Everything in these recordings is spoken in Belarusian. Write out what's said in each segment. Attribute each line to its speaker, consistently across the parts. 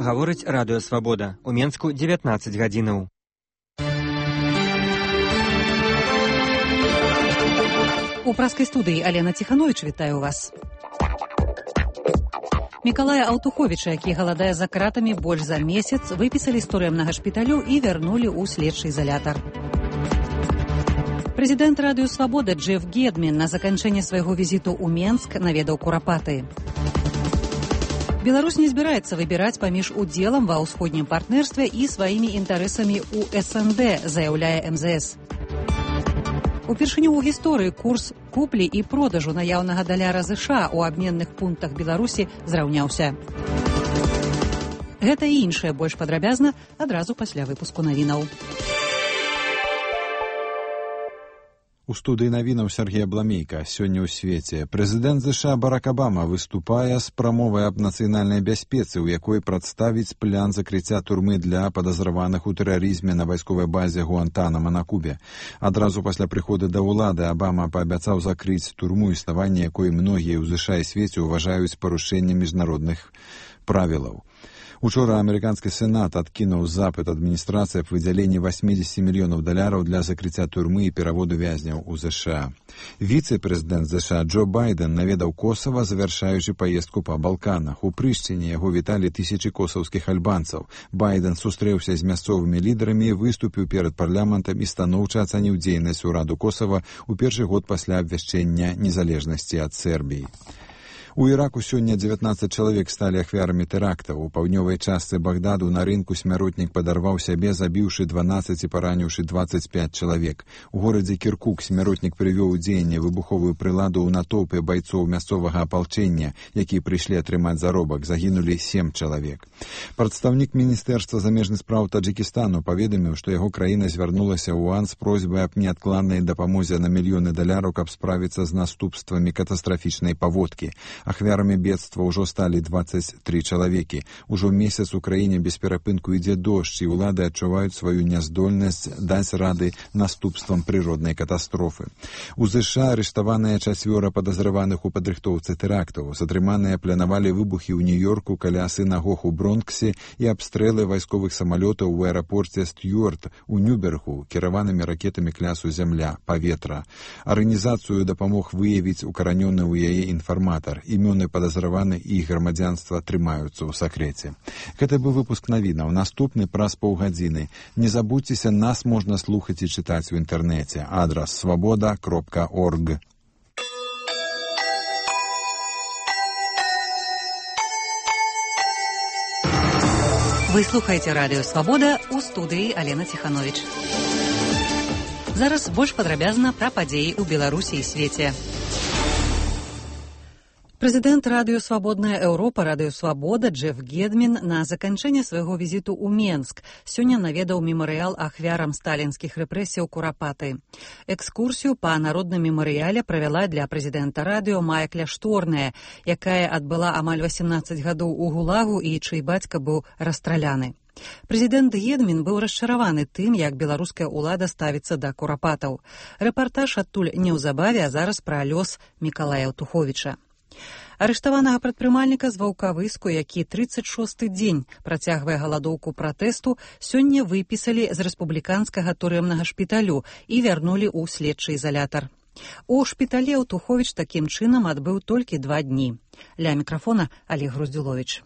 Speaker 1: гаворыць радыё Свабода. У Менску 19 гадзінаў.
Speaker 2: У праскай студыі Алена Ціхановіч вітаю вас. Мікалая Аўтуховіча, які галадае за кратамі больш за месяц, выпісалі з турэмнага шпіталю і вярнулі ў следчы изалятар. Прэзідэнт радыё Свабода Джеф Гедмін на заканчэнне свайго візіту ў Менск наведаў Курапаты. Беларусь не збіраецца выбіраць паміж удзелам ва ўсходнім партнерстве і сваімі інтарэсамі ў СНД, заяўляе МЗС. Упершыню ў гісторыі курс куплі і продажу наяўнага даляра ЗША ў абменных пунктах Беларусі зраўняўся. Гэта і іншае больш падрабязна адразу пасля выпуску навінаў.
Speaker 3: У студыі навінаў Сергей Абламейка. Сёння ў свеце прэзідэнт ЗША Барак Абама выступае з прамовай аб нацыянальнай бяспецы, у якой прадставіць план закрыцця турмы для падазраваных у тэрарызме на вайсковай базе Гуантанамо на Кубе. Адразу пасля прыходу да ўлады Абама паабяцаў закрыць турму, існаванне якой многія ў ЗША і свеце ўважаюць парушэннем міжнародных правілаў. Учора амерыканскі сенат адкінуў запыт адміністрацыі аб выдзяленні $80 мільёнаў для закрыцця турмы і пераводу вязняў у ЗША. Віцэ-прэзідэнт ЗША Джо Байден наведаў Косава, завяршаючы паездку па Балканах. У Прышчыне яго віталі тысячы косаўскіх альбанцаў. Байден сустрэўся з мясцовымі лідарамі, выступіў перад парламентам і станоўча ацаніў дзейнасць ураду Косава ў першы год пасля абвяшчэння незалежнасці ад Сербіі. У Іраку сёння 19 чалавек сталі ахвярамі тэрактаў. У паўднёвай частцы Багдаду на рынку смяротнік падарваў сябе, забіўшы 12 і параніўшы 25 чалавек. У горадзе Кіркук смяротнік прывёў у дзеянне выбуховую прыладу ў натоўпе байцоў мясцовага апалчэння, якія прыйшлі атрымаць заробак. Загінулі 7 чалавек. Прадстаўнік міністэрства замежных спраў Таджыкістану паведаміў, што яго краіна звярнулася ў ОАН з просьбай аб неадкладнай дапамозе на мільёны даляраў, каб справіцца з наступствамі катастрафічнай паводкі. Ахвярамі бедства ўжо сталі 23 чалавекі. Ужо месяц у краіне без перапынку ідзе дождж, і ўлады адчуваюць сваю няздольнасць даць рады наступствам прыроднай катастрофы. У ЗША арыштаваныя 4 падазраваных у падрыхтоўцы тэрактаў. Затрыманыя планавалі выбухі ў Нью-Йорку каля сінагог у Бронксе і абстрэлы вайсковых самалётаў у аэрапорце Стюарт у Нюбергу кіраванымі ракетамі клясу «Зямля», «Паветра». Арганізацыю дапамог выявіць укаранёны ў яе інфарматар. Імёны падазраваны і іх грамадзянства трымаюцца ў сакрэце. Гэта быў выпуск навінаў. Наступны праз паўгадзіны. Не забудзьцеся, нас можна слухаць і чытаць у інтэрнэце. Адрас svoboda.org.
Speaker 2: Вы слухаеце радыё Свабода, у студыі Алена Ціхановіч. Зараз больш падрабязна пра падзеі ў Беларусі і свеце. Прэзідэнт радыё «Свабодная Еўропа», радыё «Свабода» Джеф Гедмін на заканчэнне свайго візіту ў Менск сёння наведаў мемарыял ахвярам сталінскіх рэпрэсіяў Курапаты. Экскурсію па народным мемарыяле правяла для прэзідэнта радыё Майя Кляшторная, якая адбыла амаль 18 гадоў у ГУЛАГу і чый бацька быў расстраляны. Прэзідэнт Гедмін быў расчараваны тым, як беларуская ўлада ставіцца да курапатаў. Рэпартаж адтуль неўзабаве, а зараз пра лёс Мікалая Аўтуховіча. Арыштаванага прадпрымальніка з Ваўкавыску, які 36-й дзень працягвае галадоўку пратэсту, сёння выпісалі з рэспубліканскага турэмнага шпіталю і вярнулі ў следчы изалятар. У шпіталі Аўтуховіч такім чынам адбыў толькі 2 дні. Ля мікрафона Олег Груздзіловіч.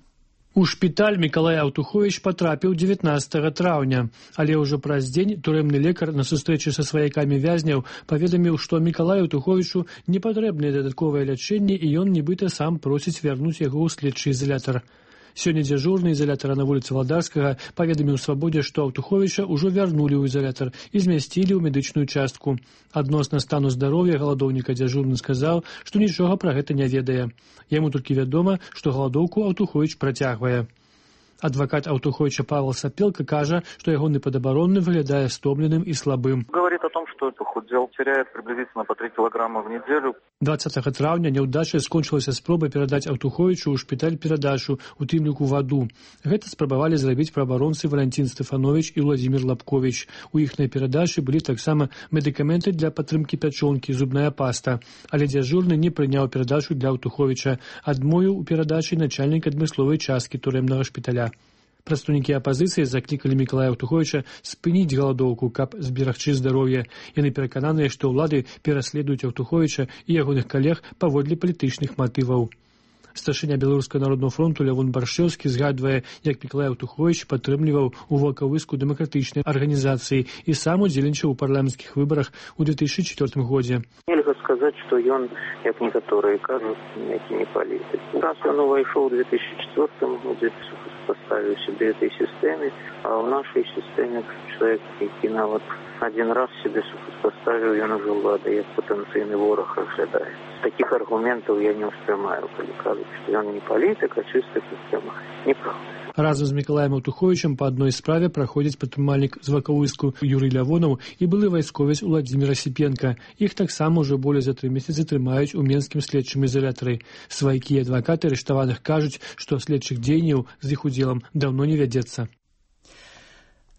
Speaker 4: У шпіталь Мікалай Аўтуховіч патрапіў 19 траўня, але ўжо праз дзень турэмны лекар на сустрэчы са сваякамі вязняў паведаміў, што Мікалаю Аўтуховічу не патрэбнае дадатковае лячэнне і ён нібыта сам просіць вярнуць яго ў следчы изалятар. Сёння дзяжурны изалятара на вуліцы Валдарскага паведаміў Свабодзе, што Аўтуховіча ўжо вярнулі ў изалятар і змясцілі ў медычную частку. Адносна стану здароўя галадоўніка дзяжурны сказаў, што нічога пра гэта не ведае. Яму толькі вядома, што галадоўку Аўтуховіч працягвае. Адвокат Аўтуховича Павел Сапелка кажа, что ягоны падабаронны выглядае стомленым и слабым.
Speaker 5: Говорит о том, что похудел, теряет приблизительно по 3 килограмма в неделю.
Speaker 4: 20 траўня няўдачай скончылася спроба перадаць Аўтуховичу ў шпіталь перадачу, у тым ліку ваду. Гэта спрабавалі зрабіць праабаронцы Валентин Стефанович і Владимир Лапкович. У іхнай перадачы былі таксама медыкаменты для падтрымкі пячонкі, зубная паста. Але дзяжурны не прыняў перадачу для Аўтуховича. Адмовіў у перадачы начальнік адмысловай часткі турэмнага шпіталя. Прадстаўнікі апазіцыі заклікалі Мікалая Аўтуховіча спыніць галадоўку, каб зберагчы здароўе. Яны перакананыя, што ўлады пераследуюць Аўтуховіча і ягоных калег паводле палітычных матываў. Старшыня Беларускага народнага фронту Лявон Баршчэўскі згадвае, як Мікалай Аўтуховіч падтрымліваў у Ваўкавыску дэмакратычнай арганізацыі і сам удзельнічаў у парламенцкіх выбарах у 2004 годзе.
Speaker 6: Нельга сказаць, што ён, як некаторыя кажуць, які не палітык. Раз ён увайшоў у 2004 годзе, паставіў сябе этой сістэме, а ў нашай сістэме чалавек, які нават один раз себе супоставил, ён уже ўлады як патэнцыйны вораг разглядае. Таких аргументаў я не ўспрымаю, калі кажуць, што ён не палітык, а чыста сістэма. Неправда.
Speaker 4: Разам з Мікалаем Аўтуховічам па адной справе праходзіць прадпрымальнік з Ваўкавыску Юрый Лявонаў і былы вайсковец Уладзімір Асіпенка. Іх таксама ўжо болей за 3 месяцы трымаюць у менскім следчым ізалятары. Сваякі і адвакаты арыштаваных кажуць, што следчых дзеянняў з іх удзелам даўно не вядзецца.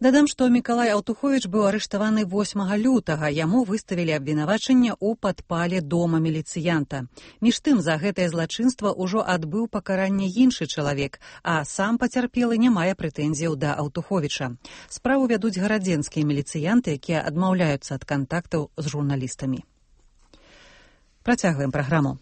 Speaker 2: Дадам, што Мікалай Аўтуховіч быў арыштаваны 8 лютага. Яму выставілі абвінавачанне ў падпале дома міліцыянта. Між тым, за гэтае злачынства ўжо адбыў пакаранне іншы чалавек, а сам пацярпелы не мае прэтэнзіяў да Аўтуховіча. Справу вядуць гарадзенскія міліцыянты, якія адмаўляюцца ад кантактаў з журналістамі. Працягваем праграму.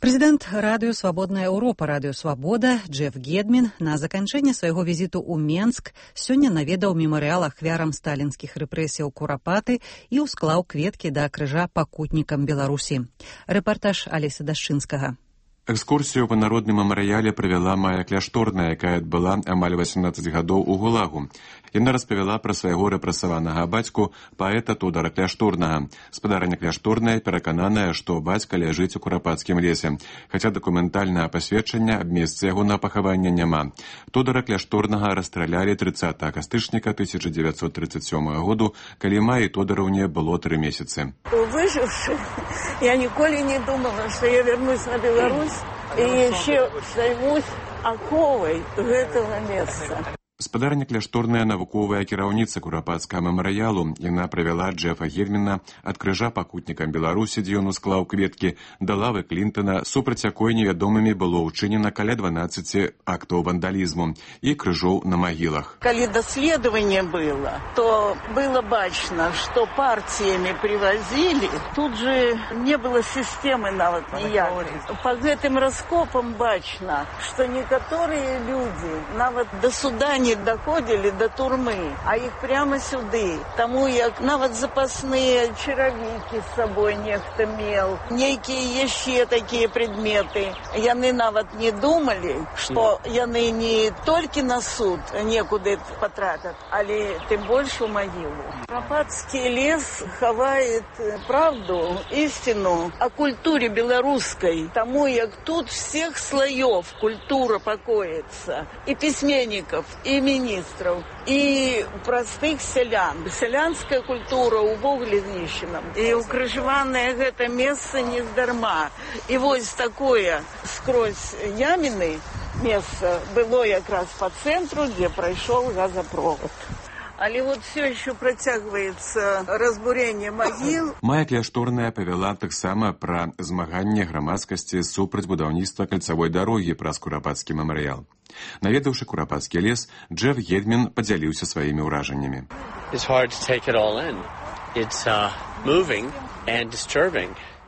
Speaker 2: Прэзідэнт радыё «Свабодная Еўропа», радыё «Свабода» Джеф Гедмін на заканчэнне свайго візіту ў Менск сёння наведаў мемарыял ахвярам сталінскіх рэпрэсіяў Курапаты і ўсклаў кветкі да крыжа пакутнікам Беларусі. Рэпартаж Алеся Дашчынскага.
Speaker 7: Экскурсію па народным мемарыяле правяла Майя Кляшторная, якая адбыла амаль 18 гадоў у Гулагу. Яна распавяла пра свайго рэпрэсаванага бацьку, паэта Тодара Кляшторнага. Спадарыня Кляшторная перакананая, што бацька ляжыць у Курапацкім лесе, хаця дакументальнага пасведчання аб месцы ягонага пахавання няма. Тодара Кляшторнага расстралялі 30 кастычніка 1937 году, калі Майі Тодораўне было 3 месяцы.
Speaker 8: Выживши, я ніколі не думала, што я вернусь на Беларусь і яшчэ займусь аховай гэтага месца.
Speaker 7: Спадарня Кляшторная навуковая кіраўніца Курапацкага мемарыялу. Яна правяла Джефа Гедміна ад крыжа пакутнікам Беларусі, дзе ён усклаў кветкі, да лавы Клінтона, супраць якой невядомымі было ўчынена каля 12 актаў вандалізму і крыжоў на магілах.
Speaker 8: Калі даследаванне было, то было бачна, што партіямі привозили, тут же не было сістэмы нават ніякай. Па гэтым раскопам бачна, што некаторыя людзі нават да суда не доходили до турмы, а их прямо сюды. Тому як нават запасные чаравікі з собой нехто мел, нейкія яшчэ такія предметы. Яны нават не думали, што яны не толькі на суд некуды потрапят, але тым больш у могилу. Курапацкі лес хавает правду, истину о культуре белорусской, тому як тут всех слоев культура покоится, и письменников, и министров, и простых селян. Селянская культура увогуле знищена. И укрыжаванае гэта месца не здарма. И вось такое скрозь яміны месца было якраз по центру, где пройшоў газопровод. Але вот все еще працягваецца разбурение магіл.
Speaker 7: Майя Кляшторная павяла таксама пра змаганне грамадскасці супраць будаўніцтва кальцавой дарогі праз Курапацкі мемарыял. Наведаўшы Курапацкі лес, Джеф Гедмін падзяліўся сваімі ўражаннямі.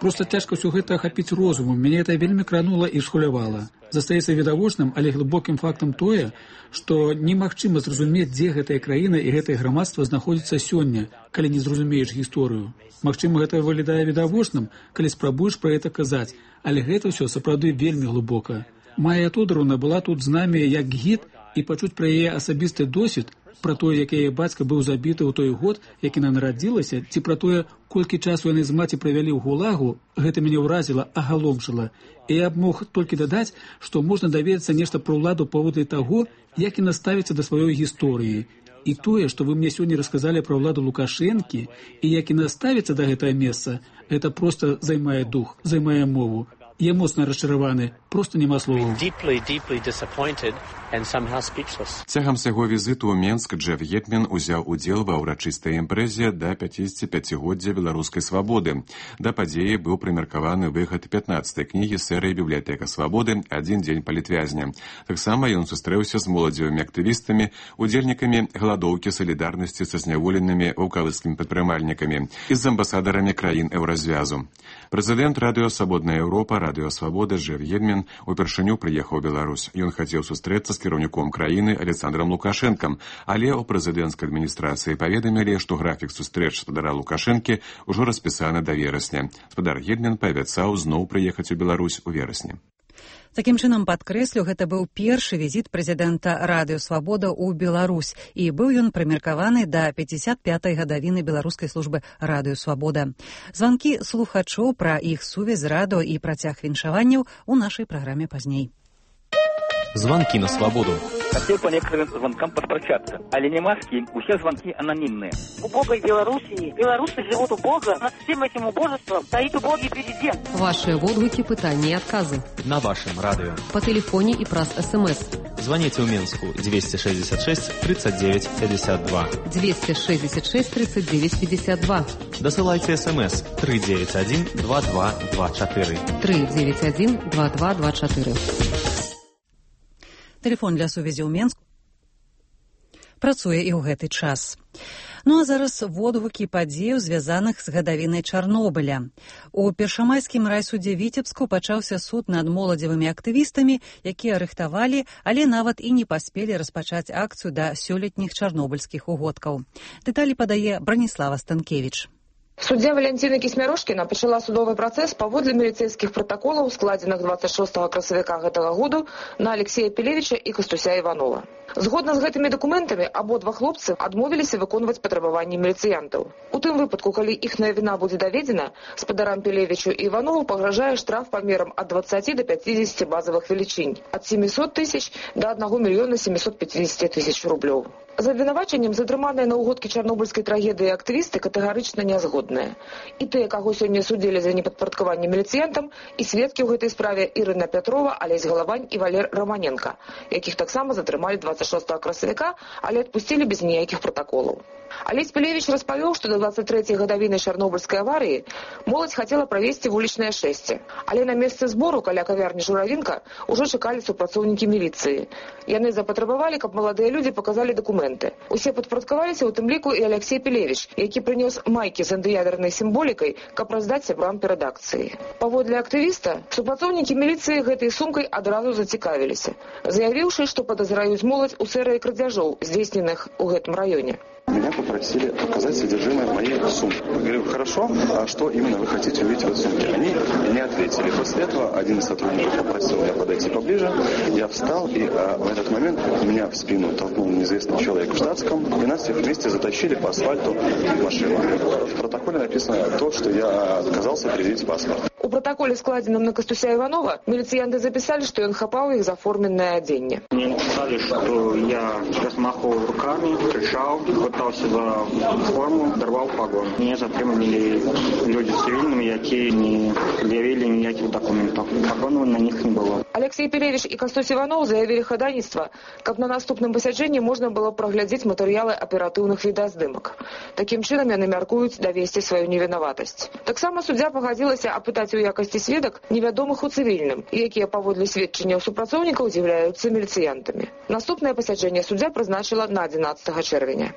Speaker 9: Просто цяжка ўсё гэта ахапіць розумам. Мяне гэта вельмі кранула і схвалявала. Застаецца відавочным, але глыбокім фактам тое, што немагчыма зразумець, дзе гэтая краіна і гэтае грамадства знаходзіцца сёння, калі не зразумееш гісторыю. Магчыма, гэта выглядае відавочным, калі спрабуеш пра гэта казаць, але гэта ўсё сапраўды вельмі глыбока. Майя Тодораўна была тут з намі як гід, і пачуць пра яе асабісты досвед, пра тое, як яе бацька быў забіты ў той год, як яна нарадзілася, ці пра тое, колькі часу яны з маці правялі ў Гулагу, гэта мяне ўразіла, агаломшыла. І я б мог толькі дадаць, што можна даведацца нешта пра ўладу паводле таго, як яна ставіцца да сваёй гісторыі. І тое, што вы мне сёння расказалі пра ўладу Лукашэнкі, і як яна ставіцца да гэтага месца, гэта проста займае дух, займае мову. Я моцна расчараваны, проста няма словаў.
Speaker 7: Цягам свайго візіту ў Менск Джеф Гетмен узяў удзел ва ўрачыстай імпрэзе да 55-годдзя беларускай свабоды. Да падзеі быў прымеркаваны выхад 15-й кнігі серыі «Бібліятэка свабоды. Адзін дзень палітвязня». Таксама ён сустрэўся з моладзевымі актывістамі, удзельнікамі галадоўкі салідарнасці са зняволенымі ваўкавыцкімі прадпрымальнікамі і з амбасадарамі краін Еўразвязу. Прэзідэнт радыё «Свабодная Еўропа», радыё «Свабода» Джеф Гетмен упершыню прыехаў у Беларусь. Ён хацеў сустрэцца з кіраўніком краіны Александром Лукашэнкам, але ў прэзідэнцкай адміністрацыі паведамілі, што графік сустрэч спадара Лукашэнкі ўжо распісаны да верасня. Спадар Гетмен паабяцаў зноў прыехаць у Беларусь у верасні.
Speaker 2: Такім чынам, падкрэслю, гэта быў першы візіт прэзідэнта радыё «Свабода» ў Беларусь, і быў ён прымеркаваны да 55-й гадавіны беларускай службы радыё «Свабода». Званкі слухачоў пра іх сувязь з радыё і працяг віншаванняў у нашай праграме пазней.
Speaker 10: Звонки на свободу.
Speaker 11: Хотел по некоторым звонкам подпрощаться. Але не маски, у всех звонки анонимные.
Speaker 12: Убогой Белоруссии. Белорусы живут убого. Над всем этим убожеством стоит убогий президент.
Speaker 13: Ваши водвыки, пытания и отказы.
Speaker 10: На вашем радио.
Speaker 13: По телефоне и праз СМС.
Speaker 10: Звоните в Минску 266 39 52.
Speaker 13: 266 39 52.
Speaker 10: Досылайте СМС 391 2224.
Speaker 13: 391 2224.
Speaker 2: Тэлефон для сувязі ў Менску працуе і ў гэты час. Ну а зараз водгукі падзеяў, звязаных з гадавінай Чарнобыля. У першамайскім райсудзе Віцебску пачаўся суд над моладзевымі актывістамі, якія арыштавалі, але нават і не паспелі распачаць акцыю да сёлетніх чарнобыльскіх угодкаў. Дэталі падае Браніслава Станкевіч.
Speaker 14: Суддзя Валянціна Кісмярошкіна пачала судовы працэс паводле міліцэйскіх пратаколаў, складзеных 26 красавіка гэтага году на Алексея Пелевіча і Кастуся Іванова. Згодна з гэтымі дакументамі, абодва хлопцы адмовіліся выконваць патрабаванні міліцыянтаў. У тым выпадку, калі іхная віна будзе даведзена, спадарам Пелевічу і Іванову пагражае штраф памерам ад 20 до 50 базавых велічынь, ад 700 тысяч до 1 мільёна 750 тысяч рублёў. За абвінавачаннем затрыманыя на угодкі чарнобыльскай трагедыі актывісты катэгарычна нязгодныя. І тыя, каго сёння судзілі за непадпарадкаванне міліцыянтам, і сведкі ў гэтай справе Ірына Пятрова, Алесь Галавань і Валер Романенко, якіх таксама затрымалі 26 красавіка, але адпусцілі без ніякіх пратаколаў. Алесь Пелевіч распавёў, што да 23-й гадавіны чарнобыльскай аварыі моладзь хацела правесці вулічнае шэсце, але на месцы збору каля кавярні «Журавінка» ужо чакалі супрацоўнікі міліцыі. Яны запатрабавалі, каб маладыя людзі паказалі дакументы. Усе падпарадкаваліся, у тым ліку і Алексей Пелевіч, які прынёс майкі з антыядернай сімволікай, каб раздаць сябрам перад акцыяй. Паводле актывіста, супрацоўнікі міліцыі гэтай сумкай адразу зацікавіліся, заявіўшы, што падазраюць моладзь у серыі крадзяжоў, здзейсненых у гэтым раёне.
Speaker 15: Меня попросили показать содержимое моей сумки. Я говорю, хорошо, а что именно вы хотите увидеть в этой сумке? Они не ответили. После этого один из сотрудников попросил меня подойти поближе. Я встал, и в этот момент меня в спину толкнул неизвестный человек в штатском, и нас всех вместе затащили по асфальту в машину. В протоколе написано то, что я отказался предъявить паспорт.
Speaker 14: У протоколе, складзеным на Кастуся Иванова, милициянты записали, что он хапал их за форменное оденье.
Speaker 11: Мне сказали, что я размахивал руками, кричал, хватался за форму, дорвал погон. Меня затримали люди с цивильными, які не предъявили никаких документов. Погонов на них не было.
Speaker 14: Алексей Пелевич и Кастусь Иванов заявили ходатайство, как на наступном посяджении можно было проглядеть материалы оперативных видоздымок. Таким чином яны мяркуюць давесці свою невінаватасць. Таксама суддзя пагадзілася апытаць у якасці сведак невядомых у цывільным, якія паводле сведчанняў супрацоўнікаў з'яўляюцца міліцыянтамі. Наступнае пасяджэнне суддзя прызначыла на 11 чэрвеня.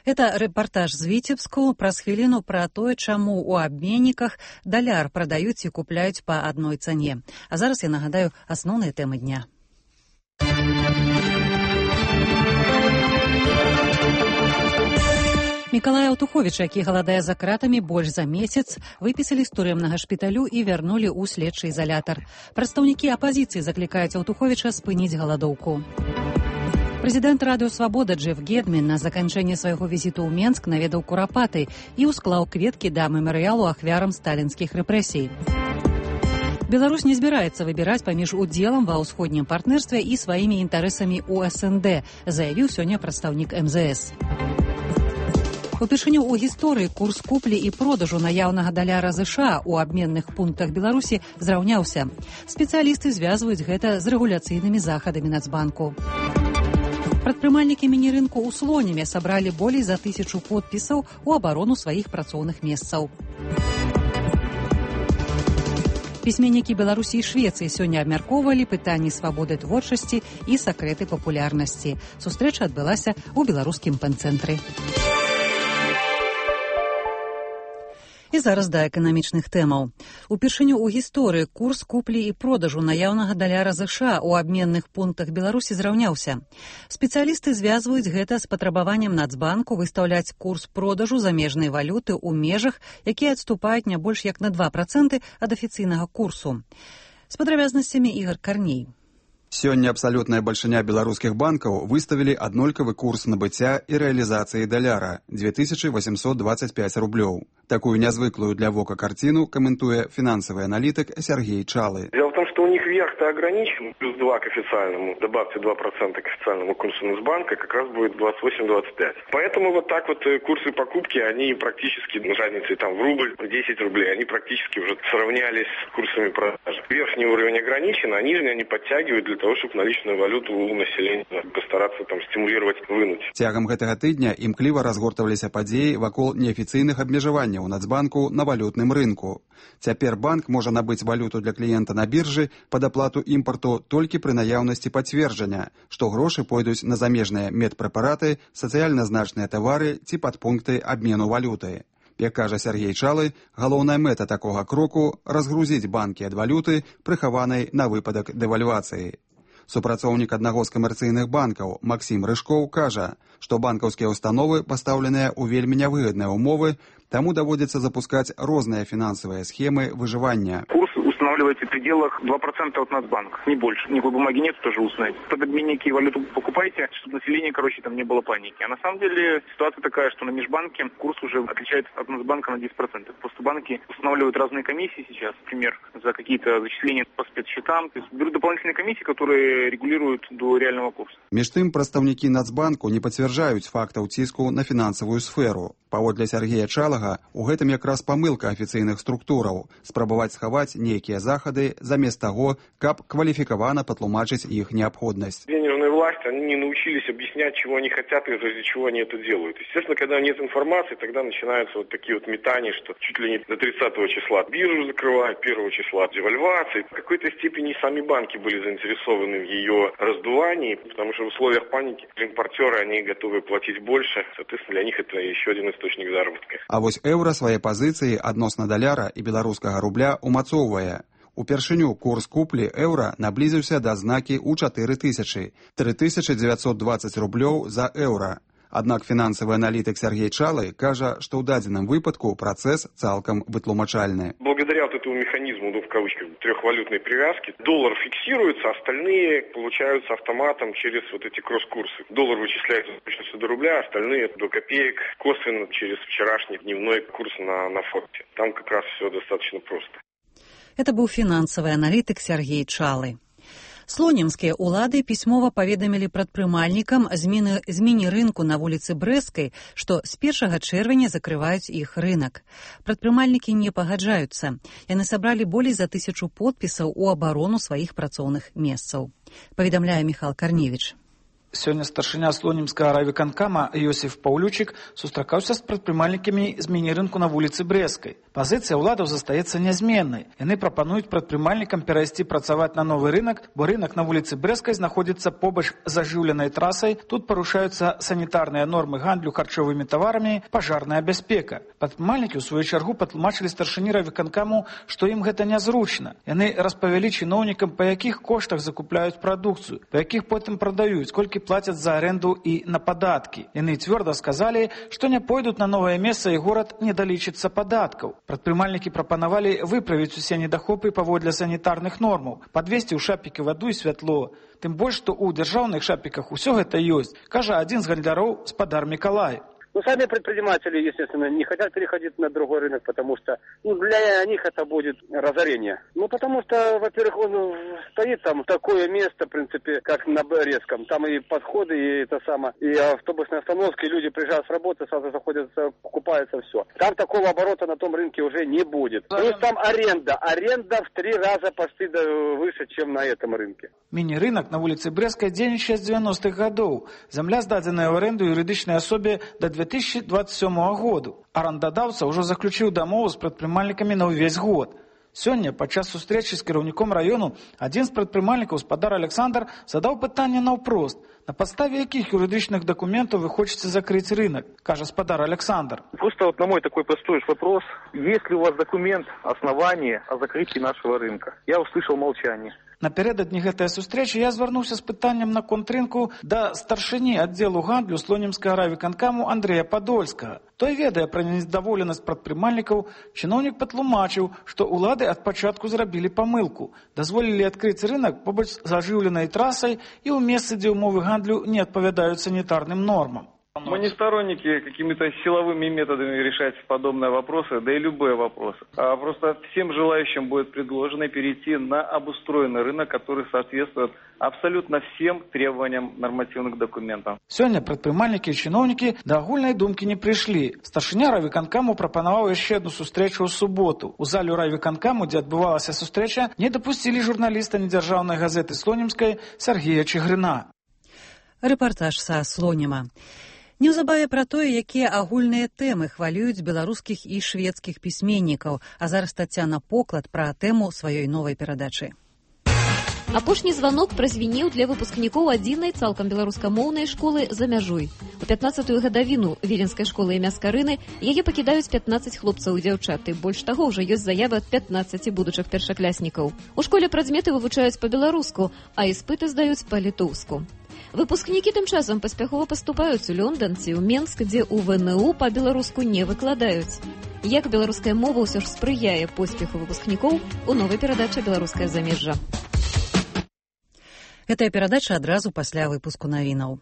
Speaker 2: Это рэпартаж з Віцебску праз хвіліну пра тое, чаму ў абменніках даляр прадаюць і купляюць па адной цане. А зараз я нагадаю асноўныя тэмы дня. Мікалая Аўтуховіча, які галадае за кратамі больш за месяц, выпісалі з турэмнага шпіталю і вярнулі ў следчы ізалятар. Прадстаўнікі апазіцыі заклікаюць Аўтуховіча спыніць галадоўку. Прэзідэнт радыё «Свабода» Джеф Гедмен на заканчэнне свайго візіту ў Менск наведаў Курапаты і ўсклаў кветкі да мемарыялу ахвярам сталінскіх рэпрэсій. Беларусь не збіраецца выбіраць паміж удзелам ва ўсходнім партнерстве і сваімі інтарэсамі ў СНД, заявіў сёння прадстаўнік МЗС. Упершыню ў гісторыі курс куплі і продажу наяўнага даляра ЗША ў абменных пунктах Беларусі зраўняўся. Спецыялісты звязваюць гэта з рэгуляцыйнымі захадамі Нацбанку. Прадпрымальнікі міні-рынку ў Слонеме сабралі болей за 1000 подпісаў у абарону сваіх працоўных месцаў. Пісьменнікі Беларусі і Швецыі сёння абмяркоўвалі пытанні свабоды творчасці і сакрэты папулярнасці. Сустрэча адбылася ў беларускім пэн-цэнтры. І зараз да эканамічных тэмаў. Упершыню ў гісторыі курс куплі і продажу наяўнага даляра ЗША ў абменных пунктах Беларусі зраўняўся. Спецыялісты звязваюць гэта з патрабаваннем Нацбанку выстаўляць курс продажу замежнай валюты ў межах, якія адступаюць не больш як на 2% ад афіцыйнага курсу. З падрабязнасцямі Ігор Карней.
Speaker 16: Сёння абсалютная бальшыня беларускіх банкаў выставілі аднолькавы курс набыцця і рэалізацыі даляра – 2825 рублёў. Такую нязвыклую для вока картину комментуя финансовый аналитик Сергей Чалы.
Speaker 17: Дело в том, что у них верх-то ограничен, плюс 2 к официальному, добавьте 2% к официальному курсу Нацбанка, как раз будет 28-25. Поэтому вот так вот курсы покупки, они практически, разницей там в рубль, 10 рублей, они практически уже сравнялись с курсами продажи. Верхний уровень ограничен, а нижний они подтягивают для того, чтобы наличную валюту у населения постараться там стимулировать, вынуть.
Speaker 16: Цягам гэтага тыдня імкліва разгортаваліся падзеі вакол неафіцыйных абмежаванняў у Нацбанку на валютным рынку. Цяпер банк можа набыць валюту для кліента на біржы пад аплату імпарту толькі пры наяўнасці пацверджання, што грошы пойдуць на замежныя медпрэпараты, сацыяльна значныя тавары ці падпункты абмену валюты. Як кажа Сергей Чалы, галоўная мэта такога кроку – разгрузіць банкі ад валюты, прыхаванай на выпадак дэвальвацыі. Супрацоўнік аднаго з камерцыйных банкаў Максім Рыжкоў кажа, што банкаўскія установы пастаўленыя ў вельмі нявыгадныя ўмовы, таму даводзіцца запускаць розныя фінансавыя схемы выжывання.
Speaker 18: Курс устанавливается в пределах 2% от Нацбанка, не больше. Никакой бумаги нет, тоже устной. Под обменники валюту покупайте, чтобы население, там не было паники. А на самом деле ситуация такая, что на межбанке курс уже отличается от Нацбанка на 10%. Просто банки устанавливают разные комиссии сейчас, например, за какие-то зачисления по спецсчетам. То есть берут дополнительные комиссии, которые регулируют до реального курса.
Speaker 16: Між тым, прадстаўнікі Нацбанку не пацвярджаюць фактаў ціску на фінансавую сферу. Паводле Сергея Чалага, у гэтым якраз памылка афіцыйных структураў – спрабаваць схаваць нейкія захады замест таго, каб кваліфікавана патлумачыць іх неабходнасць.
Speaker 17: Денежные власти, они не научились объяснять, чего они хотят и ради чего они это делают. Естественно, когда нет информации, тогда начинаются вот такие вот метания, что чуть ли не до 30 числа биржу закрывают, 1 числа девальвации. В какой-то степени сами банки были заинтересованы в ее раздувании, потому что в условиях паники импортеры, они готовы платить больше. Соответственно, для них это еще один источник заработка.
Speaker 16: А вось еўра свае пазіцыі адносна даляра і беларускага рубля умацоўвае. Упершыню курс куплі еўра наблізіўся да знакі ў 4000 – 3920 рублёў за еўра. Аднак фінансавы аналітык Сергей Чалы кажа, што ў дадзеным выпадку працэс цалкам вытлумачальны.
Speaker 17: Благодаря вот этому механизму, в кавычках, трехвалютной привязки, доллар фиксируется, остальные получаются автоматом через вот эти кросс-курсы. Доллар вычисляется с точностью до рубля, остальные до копеек косвенно через вчерашний дневной курс на форте. Там как раз все достаточно просто.
Speaker 2: Это быў фінансавы аналітык Сергей Чалы. Слонімскія ўлады пісьмова паведамілі прадпрымальнікам з міні-рынку на вуліцы Брэсцкай, што з 1 чэрвеня закрываюць іх рынак. Прадпрымальнікі не пагаджаюцца. Яны сабралі болей за 1000 подпісаў у абарону сваіх працоўных месцаў. Паведамляе Міхал Карневіч.
Speaker 9: Сёння старшыня слонімскага райвыканкама Йосиф Паўлючык сустракаўся з прадпрымальнікамі з міні-рынку на вуліцы Брэсцкай. Пазіцыя ўладаў застаецца нязменнай. Яны прапануюць прадпрымальнікам перайсці працаваць на новы рынак, бо рынак на вуліцы Брэсцкай знаходзіцца побач з ажыўленай трасай. Тут парушаюцца санітарныя нормы гандлю харчовымі таварамі, пажарная бяспека. Прадпрымальнікі ў сваю чаргу патлумачылі старшыні райвыканкаму, што ім гэта нязручна. Яны распавялі чыноўнікам, па якіх коштах закупляюць прадукцыю, па якіх потым прадаюць, колькі плацяць за аренду і на падаткі. Яны цвёрда сказалі, што не пойдуць на новае месца і горад не далічыцца падаткаў. Прадпрымальнікі прапанавалі выправіць усе недахопы паводле санітарных нормаў, падвесці ў шапікі ваду і святло. Тым больш, што ў дзяржаўных шапіках усё гэта ёсць, кажа адзін з гандляроў спадар Мікалай.
Speaker 19: Ну, сами предприниматели, естественно, не хотят переходить на другой рынок, потому что для них это будет разорение. Ну, потому что, во-первых, он стоит там такое место, в принципе, как на Брестском. Там и подходы, и это самое, и автобусные остановки, люди приезжают с работы, сразу заходят, покупаются, все. Там такого оборота на том рынке уже не будет. Плюс там аренда. Аренда в 3 раза почти выше, чем на этом рынке.
Speaker 20: Міні-рынак на вуліцы Брэсцкай дзейнічае з 90-х гадоў. Зямля здадзеная ў аренду юрыдычнай асобе да 2027 году. Арандадаўца ўжо заключыў дамову з прадпрымальнікамі на ўвесь год. Сёння, падчас сустрэчы з кіраўніком раёну, адзін з прадпрымальнікаў, спадар Александр, задаў пытанне наўпрост. На подставе яких юридичных документов вы хотите закрыть рынок, кажа спадар Александр?
Speaker 5: Просто вот на мой такой простой вопрос, есть ли у вас документ, основания о закрытии нашего рынка? Я услышал молчание.
Speaker 20: Напярэдадні гэтая сустрэча я звярнуўся з пытаннем на контррынку да старшыні аддзелу гандлю слонімскага райвыканкаму Андрэя Падольскага. Той, ведае пра незадаволенасць прадпрымальнікаў, чыноўнік патлумачыў, што ўлады ад пачатку зрабілі памылку, дазволілі адкрыць рынак побач з ажыўленай трасай і ў месцы, дзе ўмовы гандлю не адпавядаюць санітарным нормам.
Speaker 5: Мы не сторонники какими-то силовыми методами решать подобные вопросы, да и любые вопросы. А просто всем желающим будет предложено перейти на обустроенный рынок, который соответствует абсолютно всем требованиям нормативных документов.
Speaker 20: Сёння прадпрымальнікі і чыноўнікі да агульнай думкі не прыйшлі. Старшыня райвыканкаму прапанаваў яшчэ адну сустрэчу ў суботу. У зале райвыканкаму, дзе адбывалася сустрэча, не дапусцілі журналіста недзяржаўнай газеты Слонімскай Сергея Чыгрына.
Speaker 2: Рэпартаж са Слоніма. Неўзабаве пра тое, якія агульныя тэмы хвалююць беларускіх і шведскіх пісьменнікаў, а зараз Тацяна Поклад пра тэму сваёй новай перадачы.
Speaker 21: Апошні званок празвінеў для выпускнікоў адзінай цалкам беларускамоўнай школы за мяжой. У 15-ю гадавіну віленскай школы імя Скарыны яе пакідаюць 15 хлопцаў і дзяўчат, і больш таго, ўжо ёсць заявы ад 15 будучых першакласнікаў. У школе прадметы вывучаюць па-беларуску, а іспыты здаюць па-літоўску. Выпускнікі тым часам паспяхова паступаюць у Лёндан ці ў Менск, дзе ў ВНУ па-беларуску не выкладаюць. Як беларуская мова ўсё ж спрыяе поспеху выпускнікоў у новай перадачы «Беларускае замежжа».
Speaker 2: Гэтая перадача адразу пасля выпуску навінаў.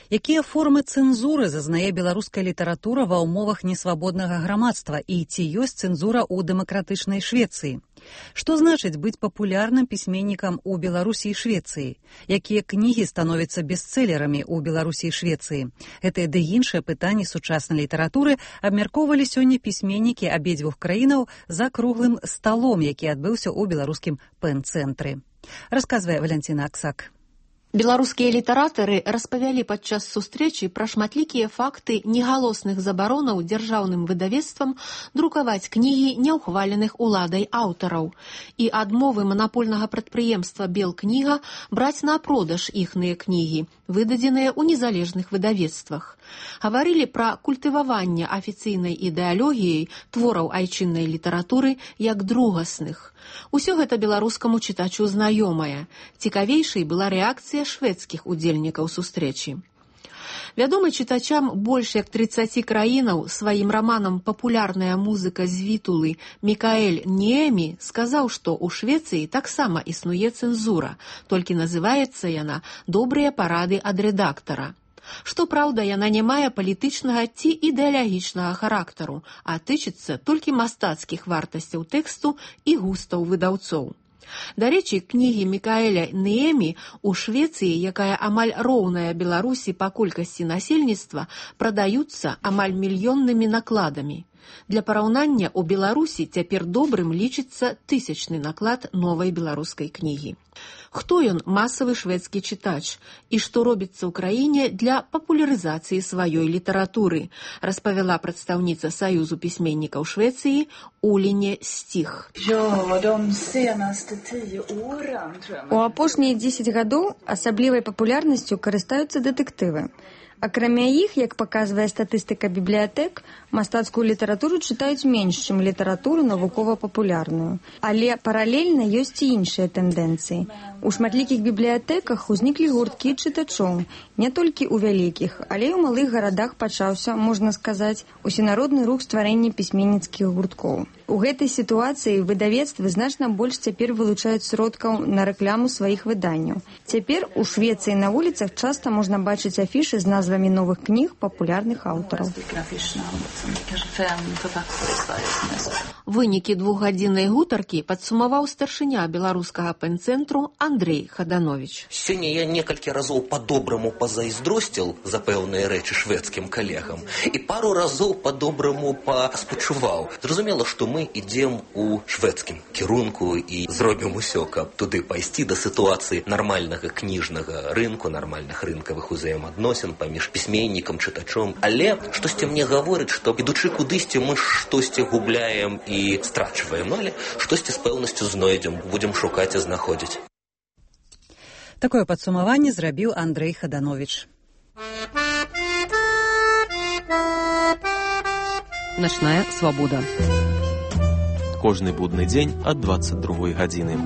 Speaker 2: Якія формы цэнзуры зазнае беларуская літаратура ва ўмовах несвабоднага грамадства і ці ёсць цэнзура ў дэмакратычнай Швецыі? Што значыць быць папулярным пісьменнікам у Беларусі і Швецыі? Якія кнігі становяцца бестселерамі ў Беларусі і Швецыі? Гэтыя ды іншыя пытанні сучаснай літаратуры абмяркоўвалі сёння пісьменнікі абедзвюх краінаў за круглым сталом, які адбыўся ў беларускім пэн-цэнтры. Расказвае Валянціна Аксак.
Speaker 22: Беларускія літаратары распавялі падчас сустрэчы пра шматлікія факты негалосных забаронаў дзяржаўным выдавецтвам друкаваць кнігі няўхваленых уладай аўтараў і адмовы манапольнага прадпрыемства «Белкніга» браць на продаж іхныя кнігі, выдадзеныя ў незалежных выдавецтвах. Гаварылі пра культываванне афіцыйнай ідэалогіяй твораў айчыннай літаратуры як другасных. Усё гэта беларускаму чытачу знаёмае. Цікавейшай была рэакцыя шведскіх удзельнікаў сустрэчы. Вядомы чытачам больш як 30 краінаў сваім раманам «Папулярная музыка з Вітулы» Мікаэль Ніэмі сказаў, што ў Швецыі таксама існуе цэнзура, толькі называецца яна «Добрыя парады ад рэдактара». Што праўда, яна не мае палітычнага ці ідэалагічнага характару, а тычыцца толькі мастацкіх вартасцяў тэксту і густаў выдаўцоў. Дарэчы, кнігі Мікаэля Ніэмі ў Швецыі, якая амаль роўная Беларусі па колькасці насельніцтва, прадаюцца амаль мільённымі накладамі. Для параўнання, у Беларусі цяпер добрым лічыцца 1000-ны наклад новай беларускай кнігі. Хто ён, масавы шведскі чытач, і што робіцца ў краіне для папулярызацыі сваёй літаратуры, распавяла прадстаўніца Саюзу пісьменнікаў Швецыі Уліне Стіх.
Speaker 23: У апошнія 10 гадоў асаблівай папулярнасцю карыстаюцца дэтэктывы. Акрамя іх, як паказвае статыстыка бібліятэк, мастацкую літаратуру чытаюць менш, чым літаратуру навукова-папулярную. Але паралельна ёсць і іншыя тэндэнцыі. У шматлікіх бібліятэках узніклі гурткі чытачоў, не толькі ў вялікіх, але і ў малых гарадах пачаўся, можна сказаць, усенародны рух стварэння пісьменніцкіх гурткоў. У гэтай сітуацыі выдавецтвы значна больш цяпер вылучаюць сродкаў на рэкламу сваіх выданняў. Цяпер у Швецыі на вуліцах часта можна бачыць афішы з назвай назвамі новых кніг папулярных аўтараў.
Speaker 22: Вынікі двухгадзіннай гутаркі падсумаваў старшыня беларускага пэн-цэнтру Андрей Хаданович.
Speaker 1: Сёння я некалькі разоў па-добраму пазайздросціл за пэўныя рэчы шведскім калегам і пару разоў па-добраму паспачуваў. Зразумела, што мы ідзем у шведскім кірунку і зробім усё, каб туды пайсці да сітуацыі нармальнага кніжнага рынку, нармальных рынкавых узаемадносін паміж пісьменнікам, чытачом. Але штосьці мне гаворыць, што ідучы кудысьці мы штосьці губляем і страчваем, але штосьці з пэўнасцю знойдзем, будзем шукаць і знаходзіць.
Speaker 2: Такое падсумаванне зрабіў Андрей Хаданович.
Speaker 13: Начная свабода.
Speaker 10: Кожны будны дзень ад 22 гадзіны.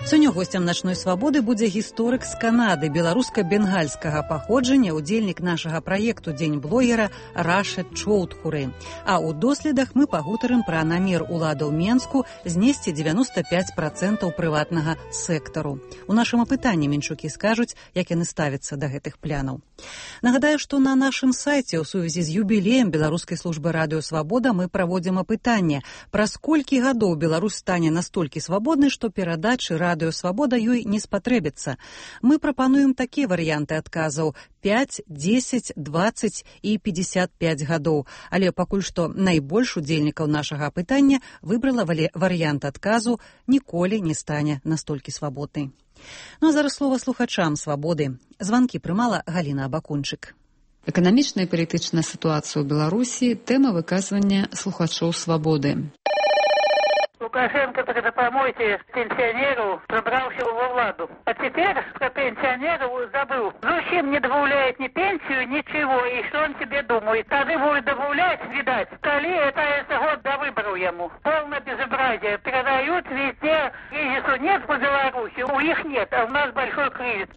Speaker 2: Сёння госцем начной свабоды будзе гісторык з Канады беларуска-бенгальскага паходжання, удзельнік нашага праекту «Дзень блогера» Рашид Чоудхуры. А ў доследах мы пагутарым пра намер уладаў Менску знесці 95% прыватнага сектару. У нашым апытанні менчукі скажуць, як яны ставяцца да гэтых плянаў. Нагадаю, што на нашым сайце ў сувязі з юбілеем Беларускай службы радыё «Свабода» мы праводзім апытанне, праз колькі гадоў Беларусь стане настолькі свабоднай, што перадачы радыё «Свабода» ёй не спатрэбіцца. Мы прапануем такія варыянты адказаў: 5, 10, 20 і 55 гадоў. Але пакуль што найбольш удзельнікаў нашага апытання выбрала варыянт адказу «Ніколі не стане настолькі свабоднай». Ну а зараз слова слухачам «Свабоды». Званкі прымала Галіна Абакунчык.
Speaker 3: Эканамічная і палітычная сітуацыя ў Беларусі – тэма выказвання слухачоў «Свабоды».
Speaker 12: Лукашенко, тогда помойте пенсионеру, пробрался во владу. А теперь про пенсионеров забыл. Зачем не добавляет ни пенсию, ничего, и что он себе думает? Тогда будет добавлять, видать. Коли это год до выборов ему. Полное безобразие. Продают везде. Кризису нет по Беларуси, у них нет, а у нас большой кризис.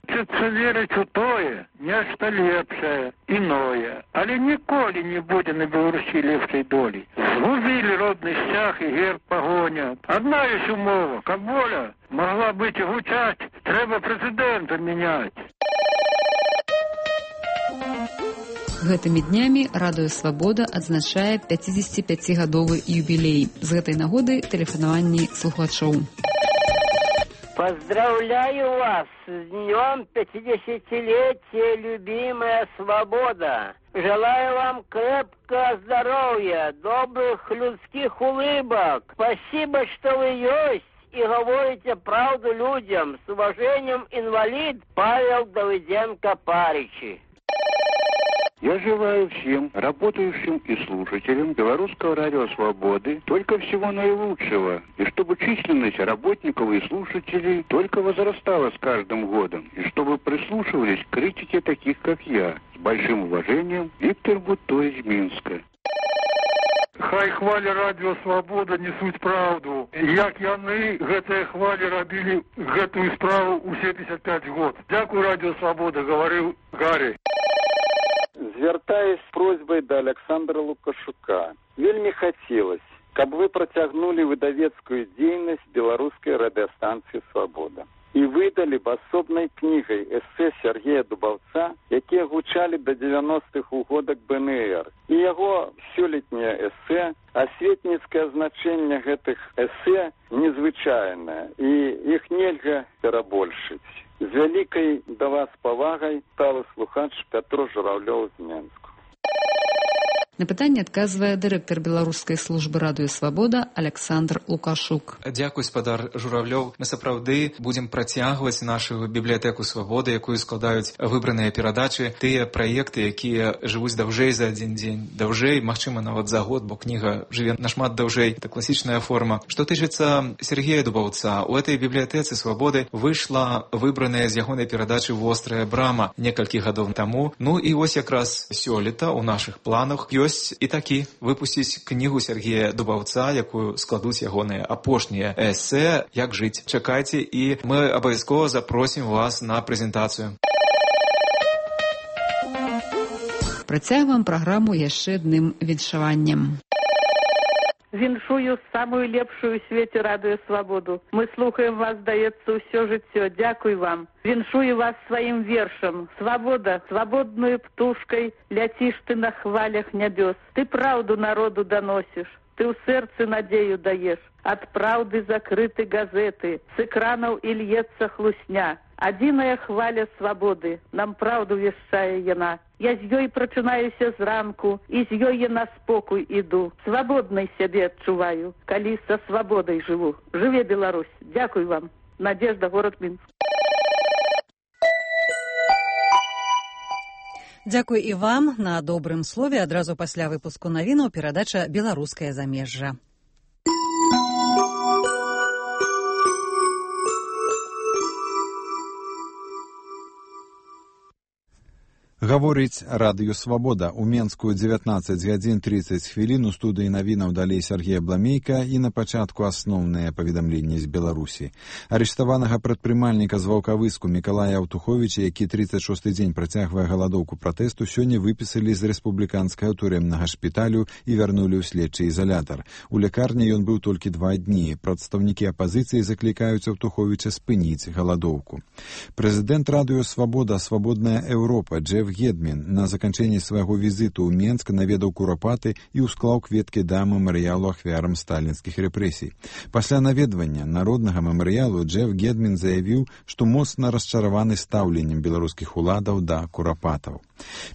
Speaker 6: Хочется верить у тое, нешта лепшае, іное, але ніколі не будзе на Беларусі лепшай долі. Згубілі родны сцяг і герб пагонят. Одна ёсць умова, каб воля могла быць і гучаць, трэба прэзідэнта мяняць.
Speaker 3: Гэтымі днямі радыё «Свабода» адзначае 55-гадовы юбілей. З гэтай нагоды тэлефанаванні слухачоў.
Speaker 24: Поздравляю вас с днем 50-летия, любимая свобода. Желаю вам крепкого здоровья, добрых людских улыбок. Спасибо, что вы есть и говорите правду людям. С уважением, инвалид Павел Давыденко-Паричи.
Speaker 6: Я желаю всем работающим и слушателям Белорусского радио «Свободы» только всего наилучшего, и чтобы численность работников и слушателей только возрастала с каждым годом, и чтобы прислушивались к критике таких, как я. С большим уважением, Виктор Бутто из Минска. Хай хвалі радіо «Свобода» несуць правду. Як яны гэтыя хвалі рабілі гэтую справу ў 75 год. Дякую, радіо «Свобода», говорил Гарри.
Speaker 25: Звяртаюсь з просьбай да Александра Лукашука. Вельмі хацелось, каб вы працягнулі выдавецкую дзейнасць беларускай радыёстанцыі «Свабода» і выдалі б асобнай кнігай эсэ Сергея Дубаўца, якія гучалі да 90-х угодак БНР. І яго сёлетняе эсэ, асветніцкае значэнне гэтых эсэ незвычайнае, і іх нельга перабольшыць. З вялікай да вас павагай сталы слухач Пятро Журавлёў з Менску.
Speaker 3: На пытанне адказвае дырэктар беларускай службы радыё «Свабода» Александр Лукашук.
Speaker 26: Дзякуй, спадар Журавлёў. Мы сапраўды будзем працягваць нашу бібліятэку «Свабоды», якую складаюць выбраныя перадачы, тыя праекты, якія жывуць даўжэй за адзін дзень, даўжэй, магчыма, нават за год, бо кніга жыве нашмат даўжэй. Это класічная форма. Што тычыцца Сергея Дубаўца, у этой бібліятэцы «Свабоды» выйшла выбраная з ягонай перадачы «Вострая брама» некалькі гадоў таму. Ну і вось якраз сёлета ў нашых планах ёсць і такі выпусціць кнігу Сергея Дубаўца, якую складуць ягоныя апошнія эсэ «Як жыць». Чакайце, і мы абавязкова запросім вас на прэзентацыю.
Speaker 3: Працягваем праграму яшчэ адным віншаваннем.
Speaker 12: Віншую самую лепшую ў свеце радыё Свабоду. Мы слухаем вас, здаецца, ўсё жыццё. Дзякуй вам. Віншую вас сваім вершам. Свабода, свабодную птушкай ляціш ты на хвалях нябёс. Ты праўду народу даносіш. Ты ў сэрцы надзею даеш. Ад праўды закрыты газеты. З экранаў і льецца хлусня. Адзіная хваля свабоды. Нам праўду вяшчае яна. Я з ёй прачынаюся зранку, і з ёй я на спокой іду. Свабоднай сябе адчуваю, калі са свабодай жыву. Жыве Беларусь. Дзякуй вам. Надежда, город Мінск.
Speaker 2: Дзякуй і вам. На добрым слове адразу пасля выпуску навінаў перадача «Беларускае замежжа».
Speaker 4: Гаворыць радыё Свабода. У Менску 19 гадзін 30 хвілін. У студыі навінаў далей Сергей Абламейка і на пачатку асноўныя паведамленні з Беларусі. Арыштаванага прадпрымальніка з Ваўкавыску Мікалая Аўтуховіча, які 36-й дзень працягвае галадоўку пратэсту, сёння выпісалі з рэспубліканскага турэмнага шпіталю і вярнулі ў следчы ізалятар. У лякарні ён быў толькі 2 дні. Прадстаўнікі апазіцыі заклікаюць Аўтуховіча спыніць галадоўку. Прэзідэнт радыё Свабода «Свабодная Еўропа» Джеф Гедмін на заканчэнні свайго візіту ў Менск наведаў Курапаты і ўсклаў кветкі да мемарыялу ахвярам сталінскіх рэпрэсій. Пасля наведвання народнага мемарыялу Джеф Гедмін заявіў, што моцна расчараваны стаўленнем беларускіх уладаў да курапатаў.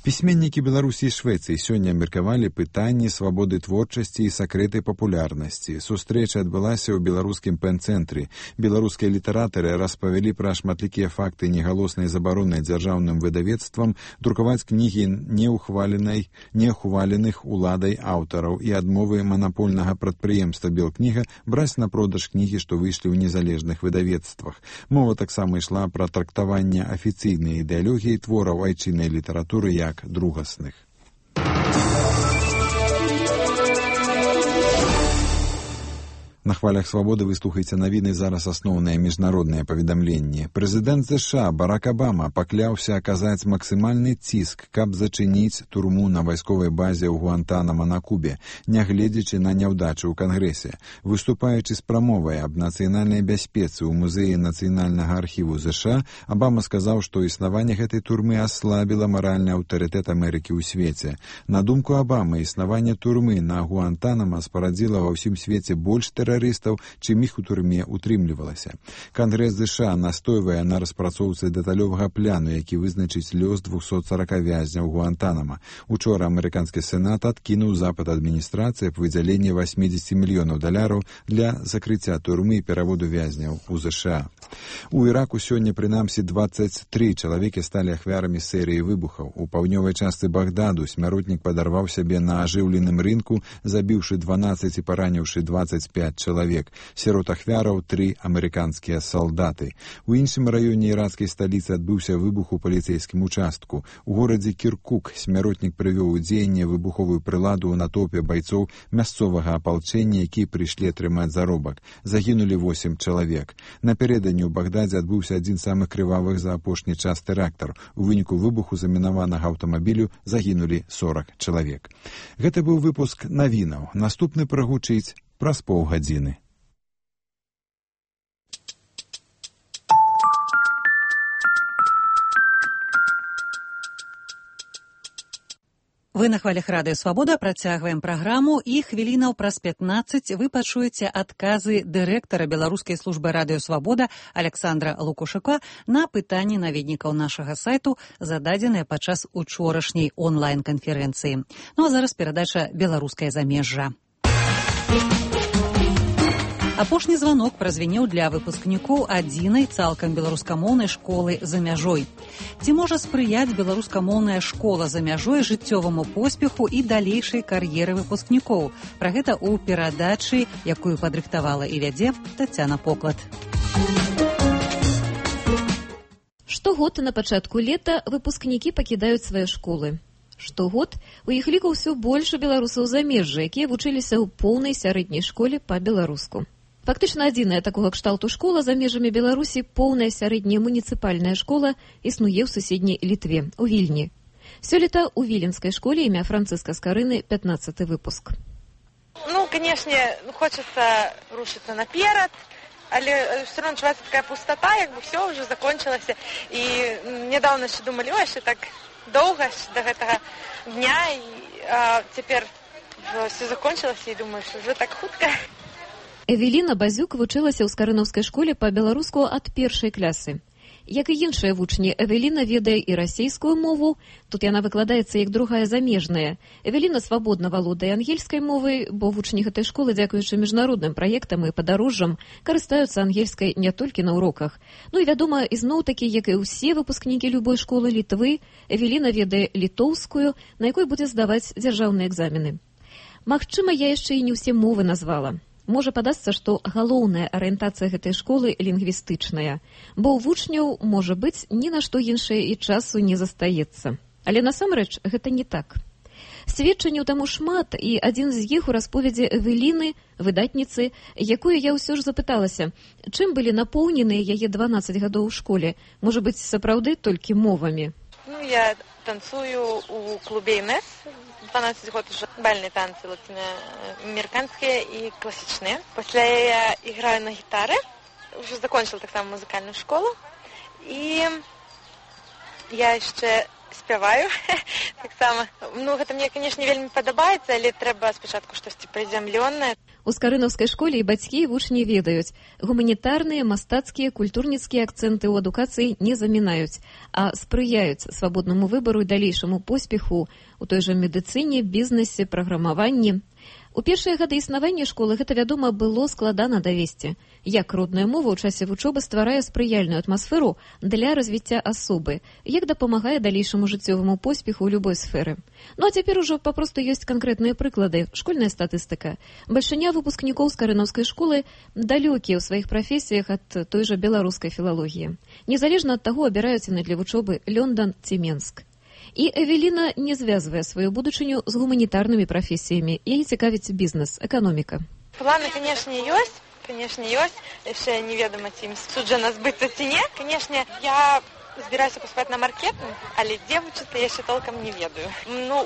Speaker 4: Пісьменнікі Беларусі і Швецыі сёння абмеркавалі пытанні свабоды творчасці і сакрэты папулярнасці. Сустрэча адбылася ў беларускім пэн-цэнтры. Беларускія літаратары распавялі пра шматлікія факты негалоснай забароны дзяржаўным выдавецтвам друкаваць кнігі неахваленых уладай аўтараў і адмовы манапольнага прадпрыемства «Белкніга» браць на продаж кнігі, што выйшлі ў незалежных выдавецтвах. Мова таксама ішла пра трактаванне афіцыйнай ідэалогіі твораў айчыннай літаратуры як другасных. На хвалях свабоды вы слухаеце навіны, зараз асноўныя міжнародныя паведамленні. Прэзідэнт США Барак Абама пакляўся аказаць максімальны ціск, каб зачыніць турму на вайсковай базе ў Гуантанамо на Кубе, нягледзячы на няўдачы ў Кангрэсе. Выступаючы з прамовай аб нацыянальнай бяспецы ў музеі нацыянальнага архіву США, Абама сказаў, што існаванне гэтай турмы аслабіла маральны аўтарытэт Амерыкі ў свеце. На думку Абамы, існаванне турмы на Гуантанамо спарадзіла ва ўсім свеце больш тэрарыстаў, чым іх у турме утрымлівалася. Кангрэс США настойвае на распрацоўцы дэталёвага пляну, які вызначыць лёс 240 вязняў Гуантанамо. Учора амерыканскі сенат адкінуў запыт адміністрацыі аб выдзяленні $80 мільёнаў для закрыцця турмы і пераводу вязняў у США. У Іраку сёння прынамсі 23 чалавекі сталі ахвярамі серыі выбухаў. У паўднёвай частцы Багдаду смяротнік падарваў сябе на ажыўленым рынку, забіўшы 12 і параніўшы 25 чалавек. Сярод ахвяраў 3 амерыканскія салдаты. У іншым раёне іракскай сталіцы адбыўся выбух у паліцэйскім участку. У горадзе Кіркук смяротнік прывёў у дзеянне выбуховую прыладу ў натоўпе байцоў мясцовага апалчэння, якія прыйшлі атрымаць заробак. Загінулі 8 чалавек. Напярэдадні ў Багдадзе адбыўся адзін з самых крывавых за апошні час тэрактар. У выніку выбуху замінаванага аўтамабілю загінулі 40 чалавек. Гэта быў выпуск навінаў. Наступны прагучыць праз паўгадзіны.
Speaker 2: Вы на хвалях радыё Свабода працягваем праграму і хвілінаў праз 15 вы пачуеце адказы дырэктара беларускай службы радыё Свабода Александра Лукашука на пытанні наведнікаў нашага сайту, зададзеныя падчас учорашняй онлайн-канферэнцыі. Ну а зараз перадача «Беларускае замежжа». Апошні званок празвінеў для выпускнікоў адзінай цалкам беларускамоўнай школы за мяжой. Ці можа спрыяць беларускамоўная школа за мяжой жыццёваму поспеху і далейшай кар'еры выпускнікоў? Пра гэта ў перадачы, якую падрыхтавала і вядзе Тацяна Поклад.
Speaker 21: Штогод на пачатку лета выпускнікі пакідаюць свае школы. Штогод у іх ліку ўсё больш беларусаў замежжа, якія вучыліся ў поўнай сярэдняй школе па-беларуску. Фактычна адзіная такога кшталту школа за межамі Беларусі, поўная сярэдняя муніцыпальная школа, існуе ў суседняй Літве, у Вільні. Сёлета ў віленскай школе імя Францыска Скарыны 15-й выпуск.
Speaker 7: Ну, конечно, хочется рушиться наперед, але все равно чувствуется такая пустота, как бы все уже закончилось. И недавно еще думали, ой, что так долго до этого дня, а теперь все закончилось, и думаю, что уже так хутка.
Speaker 21: Эвеліна Базюк вучылася ў скарынаўскай школе па-беларуску ад першай клясы. Як і іншыя вучні, Эвеліна ведае і расійскую мову, тут яна выкладаецца як другая замежная. Эвеліна свабодна валодае ангельскай мовай, бо вучні гэтай школы, дзякуючы міжнародным праектам і падарожжам, карыстаюцца ангельскай не толькі на уроках. Ну і вядома, ізноў-такі, як і ўсе выпускнікі любой школы Літвы, Эвеліна ведае літоўскую, на якой будзе здаваць дзяржаўныя экзамены. Магчыма, я яшчэ і не ўсе мовы назвала. Можа падасца, што галоўная арыентацыя гэтай школы лінгвістычная, бо ў вучняў, можа быць, ні на што іншае і часу не застаецца. Але насамрэч гэта не так. Сведчанняў таму шмат, і адзін з іх у расповедзе Эвеліны, выдатніцы, якую я ўсё ж запыталася, чым былі напоўненыя яе 12 гадоў у школе, можа быць, сапраўды толькі мовамі.
Speaker 7: Ну, я танцую у клубе ИНЕС. 12 год уже бальные танцы латиноамериканские и классичные. После я играю на гитаре, уже закончила так само музыкальную школу. И я еще спеваю так само. Ну, гэта мне, конечно, вельмі падабаецца, але трэба спачатку штосьці прызямлёнае.
Speaker 21: У скарынаўскай школе і бацькі і вучні ведаюць, гуманітарныя, мастацкія, культурніцкія акцэнты ў адукацыі не замінаюць, а спрыяюць свабоднаму выбару і далейшаму поспеху у той жа медыцыне, бізнесе, праграмаванні. У першыя гады існавання школы гэта, вядома, было складана давесці. Як родная мова ў часе вучобы стварае спрыяльную атмасферу для развіцця асобы, як дапамагае далейшаму жыццёваму поспеху ў любой сферы. Ну а цяпер ужо папросту ёсць канкрэтныя прыклады, школьная статыстыка. Бальшыня выпускнікоў скарынаўскай школы далёкія ў сваіх прафесіях ад той жа беларускай філалогіі. Незалежна ад таго, абіраюць яны для вучобы Лёндан ці Менск. І Эвеліна не звязвае сваю будучыню з гуманітарнымі прафесіямі. Яе цікавіць бізнес, эканоміка.
Speaker 7: Планы, конечно, ёсць. Конечно, ёсць. Яшчэ неведама, ці ім суджана збыцца ці не. Конечно, я збіраюся паступаць на маркетинг, але дзе вучыцца я яшчэ толкам не ведаю. Ну,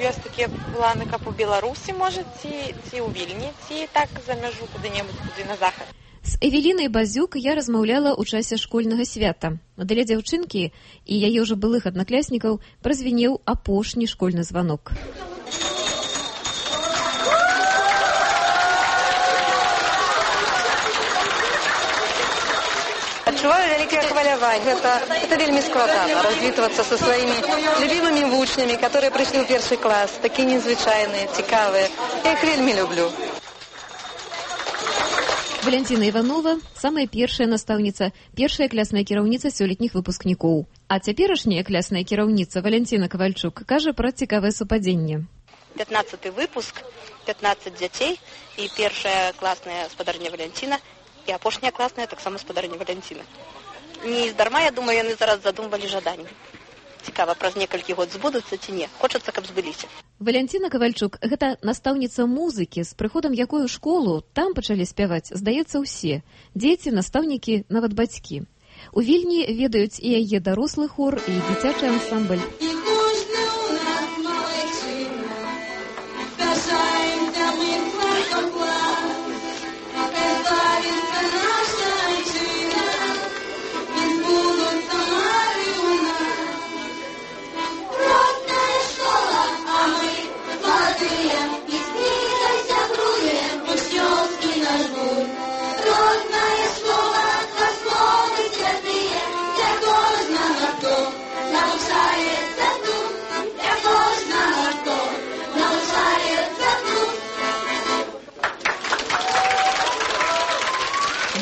Speaker 7: ёсць такія планы, каб у Беларусі, можа, ці ў Вільні, ці так за мяжу куды-небудзь, куды на захад.
Speaker 21: З Эвелінай Базюк я размаўляла ў часе школьнага свята. Для дзяўчынкі і яе ўжо былых аднакласнікаў празвінеў апошні школьны званок.
Speaker 8: Адчуваю вялікае хваляванне. Это вельмі складана развітвацца са сваімі любімымі вучнямі, которые прыйшлі ў першы клас, такія незвычайныя, цікавыя. Я іх вельмі люблю.
Speaker 21: Валянціна Іванова – самая першая настаўніца, першая клясная кіраўніца сёлетніх выпускнікоў. А цяперашняя клясная кіраўніца Валянціна Кавальчук кажа пра цікавае супадзенне.
Speaker 11: 15-й выпуск, 15 дзяцей і першая класная спадарня Валянціна і апошняя класная таксама спадарня Валянціна. Не здарма, я думаю, яны зараз задумвалі жаданні. Цікава, праз некалькі год збудуцца ці не. Хочацца, каб збыліся.
Speaker 21: Валянціна Кавальчук – гэта настаўніца музыкі, з прыходам якой у школу там пачалі спяваць, здаецца, усе. Дзеці, настаўнікі, нават бацькі. У Вільні ведаюць і яе дарослы хор, і дзіцячы ансамбль.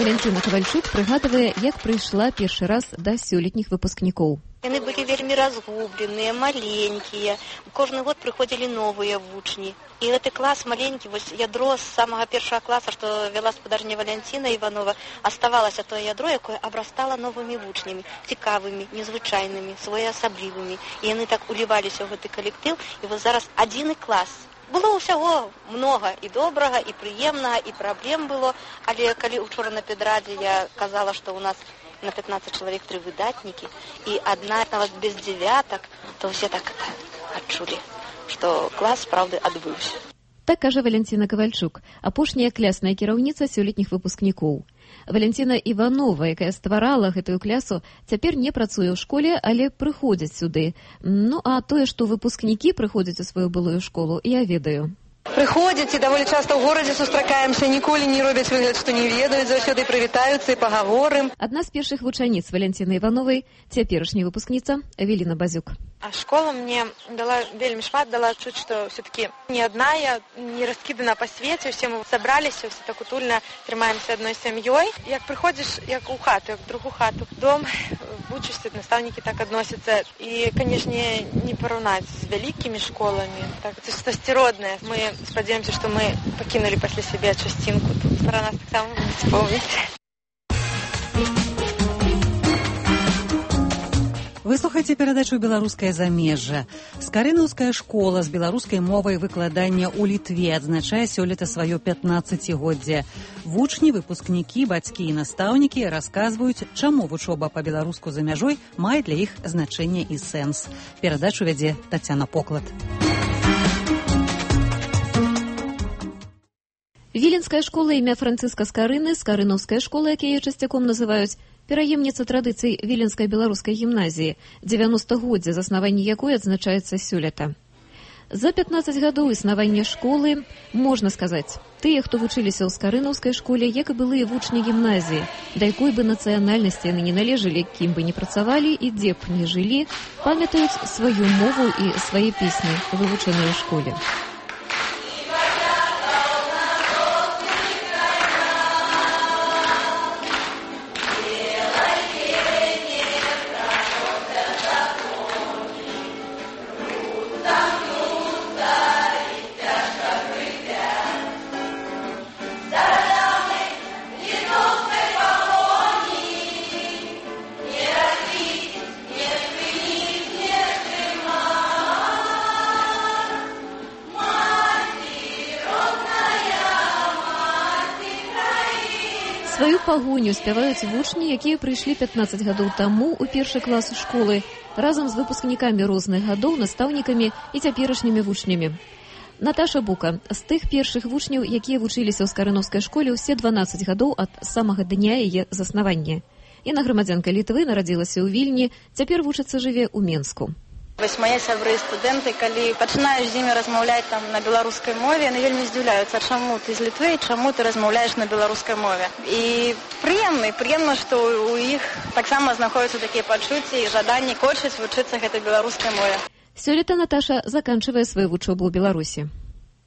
Speaker 21: Валянціна Кавальчук прыгадвае, як прыйшла першы раз да сёлетніх выпускнікоў.
Speaker 11: Яны былі вельмі разгубленыя, маленькія. Кожны год прыходзілі новыя вучні. І гэты клас маленькі, вось ядро з самага першага класа, што вяла спадарня Валянціна Іванова, аставалася тое ядро, якое абрастала новымі вучнямі, цікавымі, незвычайнымі, своеасаблівымі. І яны так уліваліся ў гэты калектыў, і вось зараз адзіны клас. Было ўсяго многа і добрага, і прыемнага, і праблем было, але калі учора на педрадзе я казала, што ў нас на 15 чалавек 3 выдатнікі, і адна нават без дзевятак, то ўсе так адчулі, што клас, правда, адбыўся.
Speaker 21: Так кажа Валянціна Кавальчук, апошняя клясная кіраўніца сёлетніх выпускнікоў. Валянціна Іванова, якая стварала гэтую клясу, цяпер не працуе ў школе, але прыходзіць сюды. Ну, а тое, што выпускнікі прыходзяць у сваю былую школу, я ведаю.
Speaker 8: Прыходзяць і даволі часта ў горадзе сустракаемся, ніколі не робяць выгляд, што не ведаюць, заўсёды прывітаюцца і пагаворым.
Speaker 21: Адна з першых вучаніц Валянціны Івановай, цяперашняя выпускніца Эвеліна Базюк.
Speaker 7: А школа мне дала вельмі шмат, дала чуць, што все-таки не адна я, не раскідана па свеце, усе мы сабраліся, усе так утульна трымаемся адной сям'ёй. Як прыходзіш, як у хату, як в другу хату, дом, вучышся, настаўнікі так адносяцца. І, канешне, не параўнаць з вялікімі школамі. Так, це стасціроднае. Мы спадзяёмся, што мы пакінулі пасля сябе часцінку. Тут пара нас таксама будзе спомніць.
Speaker 2: Вы слухаеце перадачу «Беларускае замежжа». Скарынаўская школа з беларускай мовай выкладання ў Літве адзначае сёлета сваё 15-годдзе. Вучні, выпускнікі, бацькі і настаўнікі расказваюць, чаму вучоба па-беларуску за мяжой мае для іх значэнне і сэнс. Перадачу вядзе Тацяна Поклад.
Speaker 21: Віленская школа імя Францыска Скарыны, скарынаўская школа, як яе часцяком называюць, пераемніца традыцый Віленскай беларускай гімназіі, 90-годдзе заснавання якой адзначаецца сёлета. За 15 гадоў існавання школы, можна сказаць, тыя, хто вучыліся ў скарынаўскай школе, як і былыя вучні гімназіі, да якой бы нацыянальнасці яны не належалі, кім бы не працавалі і дзе б не жылі, памятаюць сваю мову і свае песні, вывучаныя ў школе. Сваю пагоню спяваюць вучні, якія прыйшлі 15 гадоў таму ў першы клас школы, разам з выпускнікамі розных гадоў, настаўнікамі і цяперашнімі вучнямі. Наташа Бука з тых першых вучняў, якія вучыліся ў скарынаўскай школе ўсе 12 гадоў ад самага дня яе заснавання. Яна грамадзянка Літвы, нарадзілася ў Вільні, цяпер вучыцца жыве ў Менску.
Speaker 8: Вось мае сябры і студэнты, калі пачынаеш з імі размаўляць там на беларускай мове, яны вельмі здзіўляюцца, чаму ты з Літвы, чаму ты размаўляеш на беларускай мове. І прыемна, што у іх таксама знаходзяцца такія пачуцці і жаданні хочуць вучыцца гэтай беларускай мове.
Speaker 21: Сёлета Наташа заканчвае сваю вучобу ў Беларусі.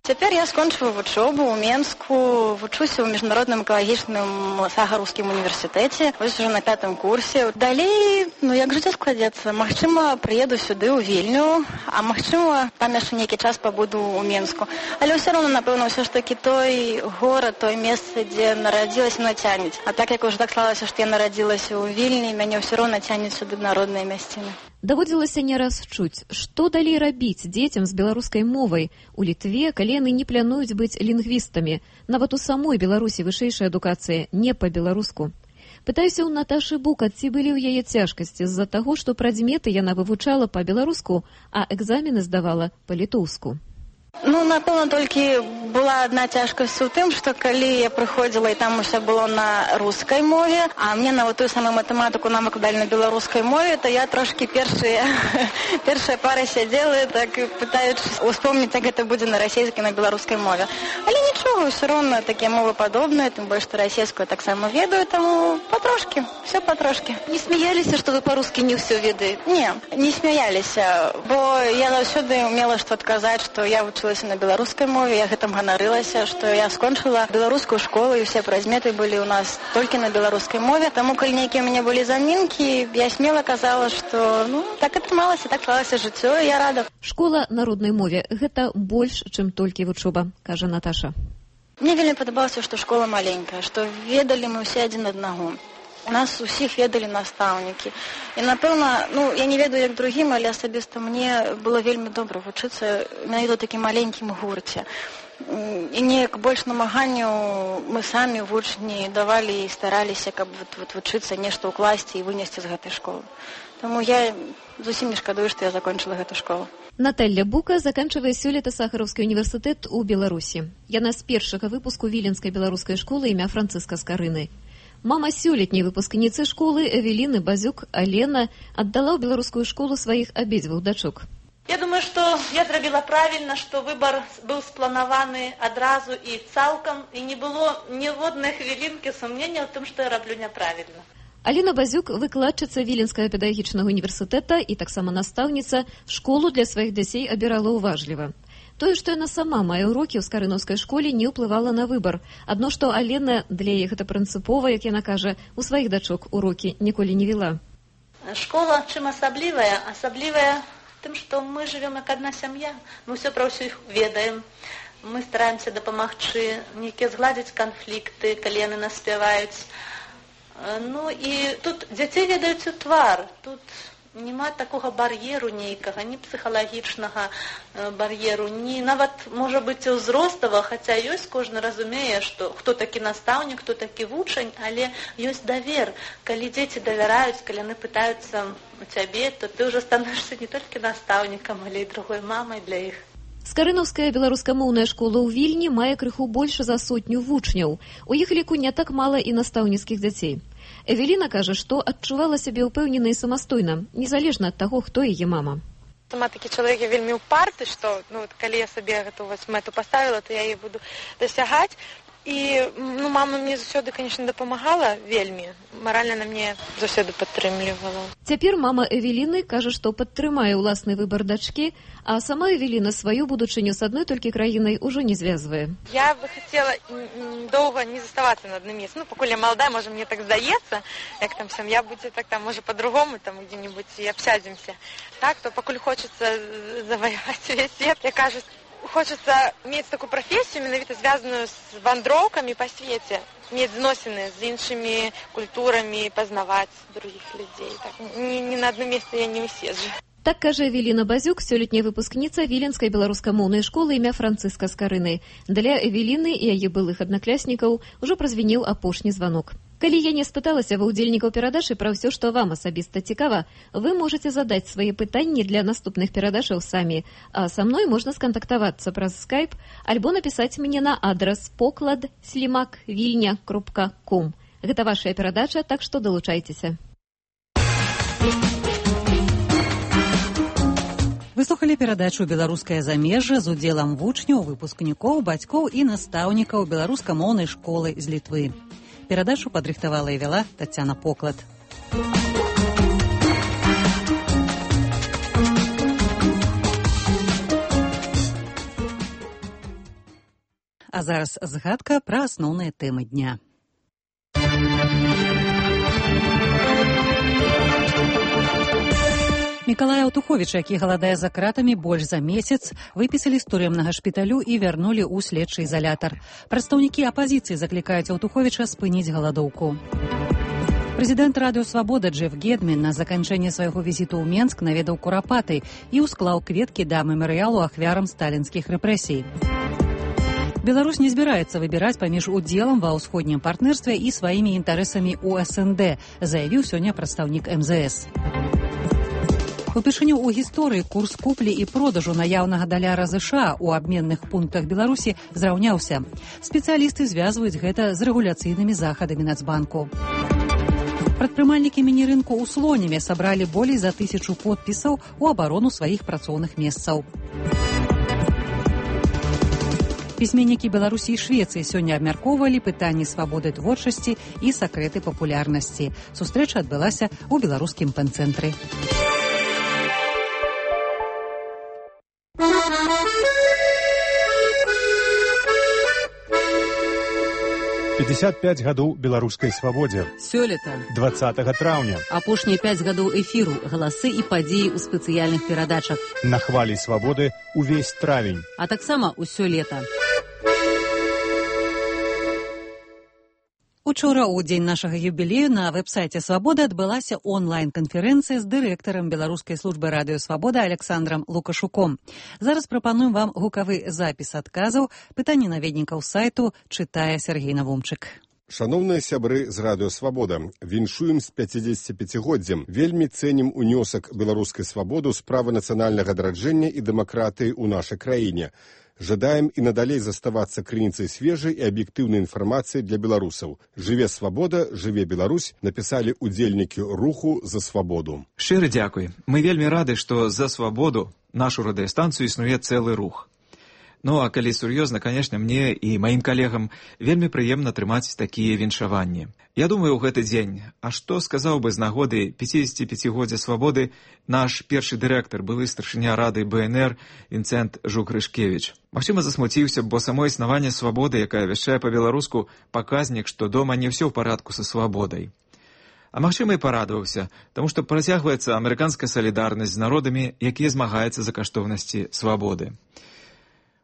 Speaker 8: Цяпер я скончыла вучобу ў Менску, вучуся ў міжнародным экалагічным Сагараўскім універсітэце, вось ужо на 5-м курсе. Далей, як жыццё складзецца, магчыма, прыеду сюды ў Вільню, а магчыма, там яшчэ нейкі час пабуду ў Менску. Але ўсё роўна, напэўна, ўсё ж такі той горад, той месца, дзе нарадзілася, мной цянець. А так як уже так склалася, што я нарадзілася ў Вільні, мяне ўсё роўна цянець сюды народныя мясціны.
Speaker 21: Даводзілася не раз чуць, што далей рабіць дзецям з беларускай мовай у Літве, калі яны не плануюць быць лінгвістамі. Нават у самой Беларусі вышэйшая адукацыя не па-беларуску. Пытаюся ў Наташы Бука, ці былі ў яе цяжкасці з-за таго, што прадметы яна вывучала па-беларуску, а экзамены здавала па-літоўску.
Speaker 8: Напэўна, толькі была адна цяжкасць у тым, што калі я прыходзіла і там усё было на рускай мове, а мне нават тую самую матэматыку нам выкладалі на беларускай мове, то я трошкі першая пара сядзела, так пытаючись успомніць, як гэта будзе на расійскай, на беларускай мове. Але нічога, ўсё роўна такія мовы падобныя, тым больш, што расійскую таксама ведаю, таму патрошкі, все патрошкі.
Speaker 21: Не смяяліся, што вы па-рускі не ўсё ведаеце?
Speaker 8: Не смяяліся, бо я заўсёды мела што адказаць, што я вучылася на беларускай мове, я гэтым ганарылася, што я скончыла беларускую школу і ўсе прадметы былі ў нас толькі на беларускай мове. Таму, калі нейкія ў мяне былі замінкі, я смела казала, што так атрымалася, так склалася жыццё, і я рада.
Speaker 21: Школа народнай мове – гэта больш, чым толькі вучоба, кажа Наташа.
Speaker 8: Мне вельмі падабалася, што школа маленькая, што ведалі мы ўсе адзін аднаго. У нас усіх ведалі настаўнікі. І, напэўна, я не ведаю, як другім, але асабіста мне было вельмі добра вучыцца менавіта ў такім маленькім гурце. і неяк больш намаганню мы самі вучні давалі і стараліся, каб вучыцца нешта ўкласці і вынесці з гэтай школы. Таму я зусім не шкадую, што я закончыла гэту школу.
Speaker 21: Наталья Бука заканчивае сёлета Сахаровскі універсітэт у Беларусі. Яна з першага выпуску Віленскай беларускай школы імя Францыска Скарыны. Мама сёлетняй выпускніцы школы Эвеліны Базюк Алена аддала ў беларускую школу сваіх абедзвюх дачок.
Speaker 9: Я думаю, што я зрабіла правільна, што выбар быў спланаваны адразу і цалкам, і не было ніводнай хвілінкі сумнення ў тым, што я раблю няправільна.
Speaker 21: Алена Базюк, выкладчыца Віленскага педагагічнага універсітэта і таксама настаўніца, школу для сваіх дзяцей абірала ўважліва. Тое, што яна сама мае ўрокі ў скарынаўскай школе, не ўплывала на выбар. Адно, што Алена, для яе гэта прынцыпова, як яна кажа, у сваіх дачок урокі ніколі не вела.
Speaker 9: Школа чым асаблівая? Асаблівая тым, што мы жывем як адна сям'я. Мы ўсё пра ўсё ведаем. Мы стараемся дапамагчы, нейкія згладзіць канфлікты, калі яны наспяваюць. Ну і тут дзяцей ведаюць у твар. Тут няма такога бар'еру нейкага, ні псіхалагічнага бар'еру, ні нават, можа быць, ўзростава, хаця ёсць, кожны разумее, што хто такі настаўнік, хто такі вучань, але ёсць давер. Калі дзеці давяраюць, калі яны пытаюцца у цябе, то ты ўжо становішся не толькі настаўнікам, але і другой мамай для іх.
Speaker 21: Скарынаўская беларускамоўная школа ў Вільні мае крыху больш за 100 вучняў. У іх ліку не так мала і настаўніцкіх дзяцей. Эвеліна кажа, што адчувала сябе ўпэўнена і самастойна, незалежна ад таго, хто яе мама.
Speaker 7: Сама такі чалавек я вельмі ўпарты, што калі я сабе гэту мэту паставіла, то я яе буду дасягаць. І мама мне заўсёды, канечне, дапамагала вельмі. Маральна на мне заўсёды падтрымлівала.
Speaker 21: Цяпер мама Эвеліны кажа, што падтрымае ўласны выбар дачкі, а сама Эвеліна сваю будучыню з адной толькі краінай ужо не звязвае.
Speaker 7: Я бы хацела доўга не заставацца на адным месцы. Пакуль я маладая, можа, мне так здаецца, як там сям'я будзе, так там, можа, па-другому, там где-нибудь і абсядземся. Так, то пакуль хочацца заваяваць увесь свет, я кажу, хочется мець такую прафесію, менавіта звязаную з вандроўкамі па свеце, мець зносіны з іншымі культурамі, пазнаваць другіх людзей. Так, не на адным месцы я не ўседжу.
Speaker 21: Так кажа Эвеліна Базюк, сёлетняя выпускніца Віленскай беларускамоўнай школы імя Францыска Скарыны. Для Эвеліны і яе былых аднакляснікаў ужо празвінеў апошні званок. Калі я не спыталася ва ўдзельнікаў перадачы пра ўсё, што вам асабіста цікава, вы можаце задаць свае пытанні для наступных перадачаў самі, а са мной можна скантактавацца праз скайп альбо напісаць мне на адрас poklad@vilnya.com. Гэта вашая перадача, так што далучайцеся.
Speaker 2: Вы слухалі перадачу «Беларускае замежжа» з удзелам вучняў, выпускнікоў, бацькоў і настаўнікаў беларускамоўнай школы з Літвы. Перадачу падрыхтавала і вяла Тацяна Поклад. А зараз згадка пра асноўныя тэмы дня. Мікалая Аўтуховіча, які галадае за кратамі больш за месяц, выпісалі з турэмнага шпіталю і вярнулі ў следчы ізалятар. Прадстаўнікі апазіцыі заклікаюць Аўтуховіча спыніць галадоўку. Прэзідэнт Радыё Свабода Джеф Гедмін на заканчэнне свайго візіту ў Менск наведаў Курапаты і ўсклаў кветкі да мемарыялу ахвярам сталінскіх рэпрэсій. Беларусь не збіраецца выбіраць паміж удзелам ва ўсходнім партнерстве і сваімі інтарэсамі ў СНД, заявіў сёння прадстаўнік МЗС. Упершыню ў гісторыі курс куплі і продажу наяўнага даляра США ў абменных пунктах Беларусі зраўняўся. Спецыялісты звязваюць гэта з рэгуляцыйнымі захадамі Нацбанку. Прадпрымальнікі міні-рынку ў Слонеме сабралі болей за 1000 подпісаў у абарону сваіх працоўных месцаў. Пісьменнікі Беларусі і Швецыі сёння абмяркоўвалі пытанні свабоды творчасці і сакрэты папулярнасці. Сустрэча адбылася ў беларускім пэн-цэнтры.
Speaker 14: «55 гадоў беларускай свабодзе».
Speaker 13: Сёлета.
Speaker 14: 20 траўня.
Speaker 13: Апошнія 5 гадоў эфіру, галасы і падзеі ў спецыяльных перадачах.
Speaker 14: На хвалі свабоды ўвесь травень.
Speaker 13: А таксама ўсё лета.
Speaker 2: У Учора, у дзень нашага юбілею, на вэб-сайце «Свабода» адбылася онлайн-канферэнцыя з дырэктарам Беларускай службы радыё «Свабода» Александрам Лукашуком. Зараз прапануем вам гукавы запіс адказаў. Пытанні наведнікаў сайту чытае Сергей Навумчык.
Speaker 5: Шановныя сябры з радыё «Свабода», віншуем з 55-годдзем. Вельмі цэнім унёсак беларускай свабоды ў справы нацыянальнага адраджэння і дэмакратыі ў нашай краіне. Жадаем і надалей заставацца крыніцай свежай і аб'ектыўнай інфармацыі для беларусаў. Жыве свабода, жыве Беларусь, напісалі удзельнікі руху за свабоду.
Speaker 26: Шчыры дзякуй. Мы вельмі рады, што за свабоду нашу радыёстанцыю існуе цэлы рух. Ну, а калі сур'ёзна, канешне, мне і маім калегам вельмі прыемна трымаць такія віншаванні. Я думаю, у гэты дзень, а што сказаў бы з нагоды 55-годдзя свабоды наш першы дырэктар, былы старшыня рады БНР Вінцэнт Жук-Рышкевіч. Магчыма, засмуціўся, бо само існаванне свабоды, якая вяшчае па-беларуску, паказнік, што дома не ўсё ў парадку са свабодай. А магчыма, і парадаваўся, таму што працягваецца амерыканская салідарнасць з народамі, якія змагаюцца за каштоўнасці свабоды.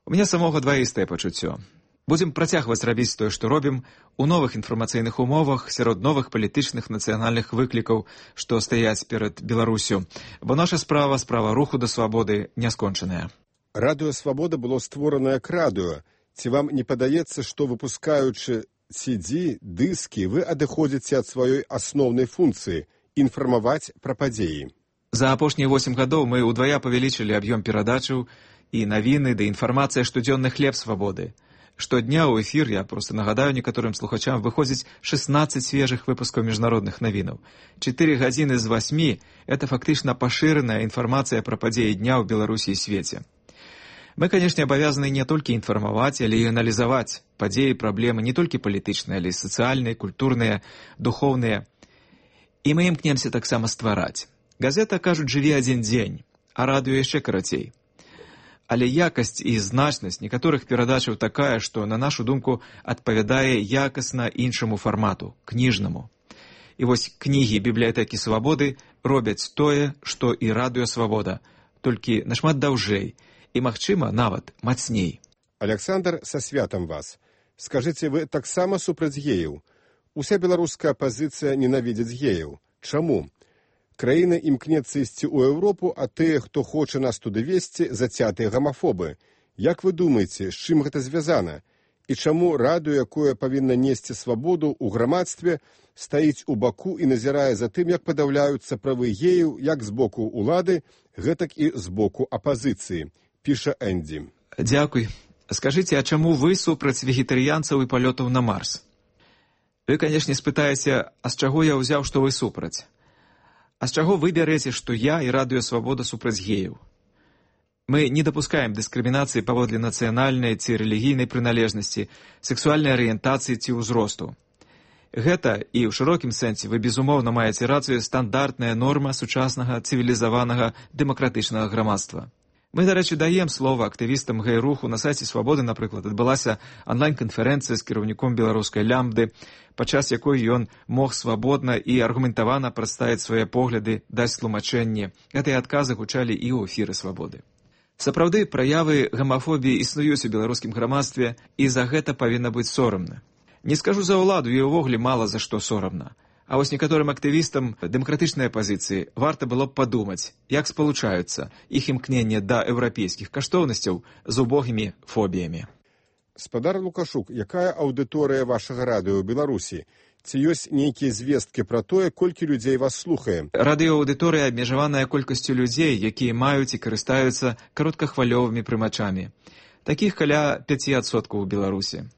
Speaker 26: У мяне самога дваістае пачуццё. Будзем працягваць рабіць тое, што робім, у новых інфармацыйных умовах, сярод новых палітычных нацыянальных выклікаў, што стаяць перад Беларусю, бо наша справа руху да свабоды не скончаная.
Speaker 5: Радыё «Свабода» было створана як радыё. Ці вам не падаецца, што выпускаючы CD, дыскі, вы адыходзіце ад сваёй асноўнай функцыі – інфармаваць пра падзеі?
Speaker 26: За апошнія 8 гадоў мы ўдвая павялічылі аб'ём перадачаў і навіны, да інфармацыя штодзённы хлеб свабоды. Штодня ў эфір, я проста нагадаю некаторым слухачам, выходзіць 16 свежых выпускаў міжнародных навінаў. 4 гадзіны з 8 – это фактычна пашыраная інфармацыя пра падзеі дня ў Беларусі і свеце. Мы, канешне, абавязаны не толькі інфармаваць, але і аналізаваць падзеі, праблемы не толькі палітычныя, але і сацыяльныя, культурныя, духоўныя. І мы імкнемся таксама ствараць. Газета, кажуць, жыве адзін дзень, а радыё яшчэ карацей. Але якасць і значнасць некаторых перадачаў такая, што, на нашу думку, адпавядае якасна іншаму фармату, кніжнаму. І вось кнігі бібліятэкі свабоды робяць тое, што і радыё «Свабода», толькі нашмат даўжэй і, магчыма, нават мацней.
Speaker 5: Александр, са святам вас. Скажыце, вы таксама супраць геяў? Уся беларуская апазіцыя ненавідзіць геяў. Чаму? Краіна імкнецца ісці ў Еўропу, а тыя, хто хоча нас туды весці, зацятыя гамафобы. Як вы думаеце, з чым гэта звязана? І чаму радыё, якое павінна несці свабоду ў грамадстве, стаіць у баку і назірае за тым, як падаўляюцца правы геяў як з боку ўлады, гэтак і з боку апазіцыі, піша Эндзі.
Speaker 26: Дзякуй. Скажыце, а чаму вы супраць вегетарыянцаў і палётаў на Марс? Вы, канешне, спытаеце, а з чаго я ўзяў, што вы супраць? А з чаго вы бярэце, што я і радыё «Свабода» супраць геяў? Мы не дапускаем дыскрымінацыі паводле нацыянальнай ці рэлігійнай прыналежнасці, сексуальнай арыентацыі ці ўзросту. Гэта, і ў шырокім сэнсе вы безумоўна маеце рацыю, стандартная норма сучаснага цывілізаванага дэмакратычнага грамадства. Мы, дарэчы, даем слова актывістам гэй-руху. На сайце «Свабоды», напрыклад, адбылася онлайн-канферэнцыя з кіраўніком беларускай лямбды, падчас якой ён мог свабодна і аргументавана прадставіць свае погляды, даць тлумачэнне. Гэтыя адказы гучалі і ў эфіры «Свабоды». Сапраўды, праявы гамафобіі існуюць у беларускім грамадстве, і за гэта павінна быць сорамна. Не скажу за ўладу, і ўвогуле мала за што сорамна. А вось некаторым актывістам дэмакратычнай апазіцыі варта было б падумаць, як спалучаюцца іх імкненне да еўрапейскіх каштоўнасцяў з убогімі фобіямі.
Speaker 5: Спадар Лукашук, якая аўдыторыя вашага радыё ў Беларусі? Ці ёсць нейкія звесткі пра тое, колькі людзей вас слухае?
Speaker 26: Радыёаўдыторыя абмежаваная колькасцю людзей, якія маюць і карыстаюцца кароткахвалёвымі прымачамі. Такіх каля 5% у Беларусі.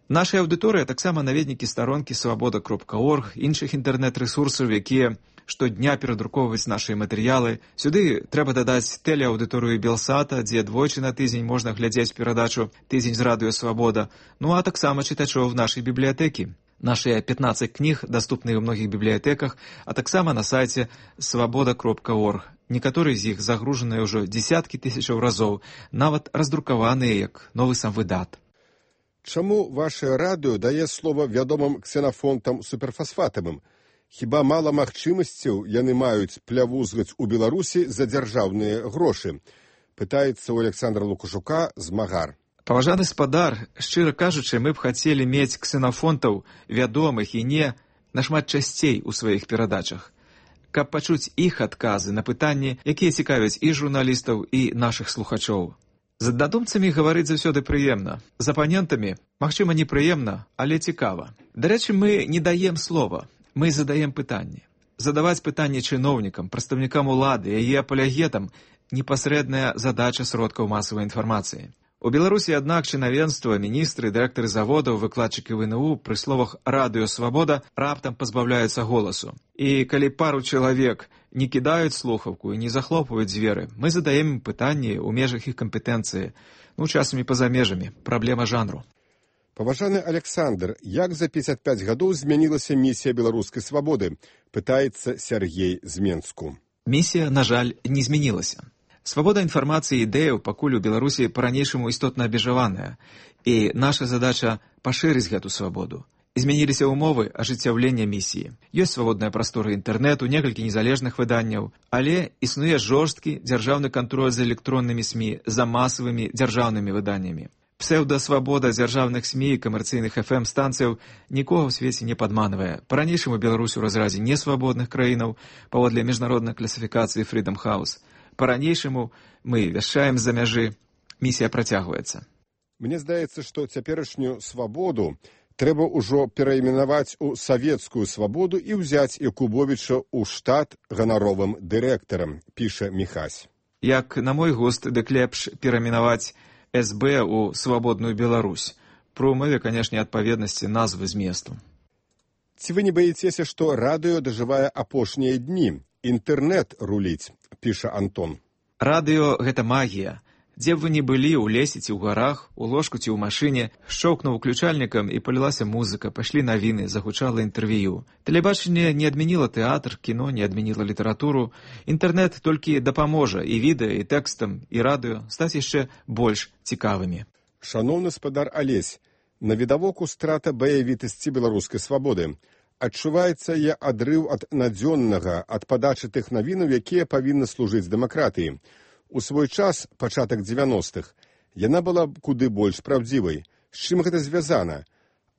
Speaker 26: Наша аўдыторыя таксама наведнікі старонкі свабода.орг, іншых інтэрнэт-рэсурсаў, якія штодня перадрукоўваюць нашыя матэрыялы. Сюды трэба дадаць тэлеаўдыторыю Белсата, дзе двойчы на тыдзень можна глядзець перадачу «Тыдзень з радыё «Свабода», ну а таксама чытачоў нашай бібліятэкі. Нашыя 15 кніг даступныя ў многіх бібліятэках, а таксама на сайце свабода.орг. Некаторыя з іх загружаныя ўжо дзесяткі тысячаў разоў, нават раздрукаваныя як новы самвыдат.
Speaker 5: Чаму ваше радыё дае слова вядомым ксенафонтам суперфасфатавым? Хіба мала магчымасцяў яны маюць плявузгаць у Беларусі за дзяржаўныя грошы? Пытаецца ў Александра Лукашука Змагар.
Speaker 26: Паважаны спадар, шчыра кажучы, мы б хацелі мець ксенафонтаў, вядомых і не, нашмат часцей у сваіх перадачах, каб пачуць іх адказы на пытанні, якія цікавяць і журналістаў, і нашых слухачоў. З аднадумцамі гаварыць заўсёды прыемна. З апанентамі, магчыма, непрыемна, але цікава. Дарэчы, мы не даем слова, мы задаем пытанні. Задаваць пытанні чыноўнікам, прадстаўнікам улады, яе апалягетам – непасрэдная задача сродкаў масавай інфармацыі. У Беларусі, аднак, чынавенства, міністры, дырэктары заводаў, выкладчыкі ВНУ пры словах «Радыё Свабода» раптам пазбаўляюцца голасу. І калі пару чалавек не кідаюць слухаўку і не захлопваюць дзверы, мы задаем ім пытанні ў межах іх кампетэнцыі, часамі па-за межамі, праблема жанру.
Speaker 5: Паважаны Александр, як за 55 гадоў змянілася місія беларускай свабоды? Пытаецца Сергей з Менску.
Speaker 26: Місія, на жаль, не змянілася. Свабода інфармацыі і ідэяў пакуль у Беларусі па-ранейшаму істотна абмежаваная, і наша задача пашырыць гэту свабоду. Змяніліся ўмовы ажыццяўлення місіі. Ёсць свабодная прастора інтэрнэту, некалькі незалежных выданняў, але існуе жорсткі дзяржаўны кантроль за электроннымі СМІ, за масавымі дзяржаўнымі выданнямі. Псеўдасвабода дзяржаўных СМІ і камерцыйных FM-станцыяў нікога ў свеце не падманвае. Па-ранейшаму Беларусь у разразе несвабодных краінаў паводле міжнароднай класіфікацыі Freedom House. Па-ранейшаму мы вяшчаем з-за мяжы. Місія працягваецца.
Speaker 5: Мне здаецца, што цяперашнюю свабоду трэба ўжо перайменаваць у савецкую свабоду і ўзяць Якубовіча ў штат ганаровым дырэктарам, піша Міхась.
Speaker 26: Як на мой густ, дык лепш перайменаваць СБ у свабодную Беларусь. Пры ўмове, канешне, адпаведнасці назвы зместу.
Speaker 5: Ці вы не баіцеся, што радыё дажывае апошнія дні? Інтэрнэт руліць, піша Антон.
Speaker 26: Радыё – гэта магія. Дзе б вы не былі, у лесе ці ў гарах, у ложку ці ў машыне, шчоўкнуў уключальнікам і палілася музыка, пайшлі навіны, загучала інтэрв'ю. Тэлебачанне не адмяніла тэатр, кіно не адмяніла літаратуру. Інтэрнэт толькі дапаможа і відэа, і тэкстам, і радыё стаць яшчэ больш цікавымі.
Speaker 5: Шаноўны спадар Алесь, навідавоку страта баявітасці беларускай свабоды. Адчуваецца я адрыў ад надзённага, ад падачы тых навінаў, якія павінны служыць дэмакратыі. У свой час, пачатак 90-х, яна была куды больш праўдзівай. З чым гэта звязана?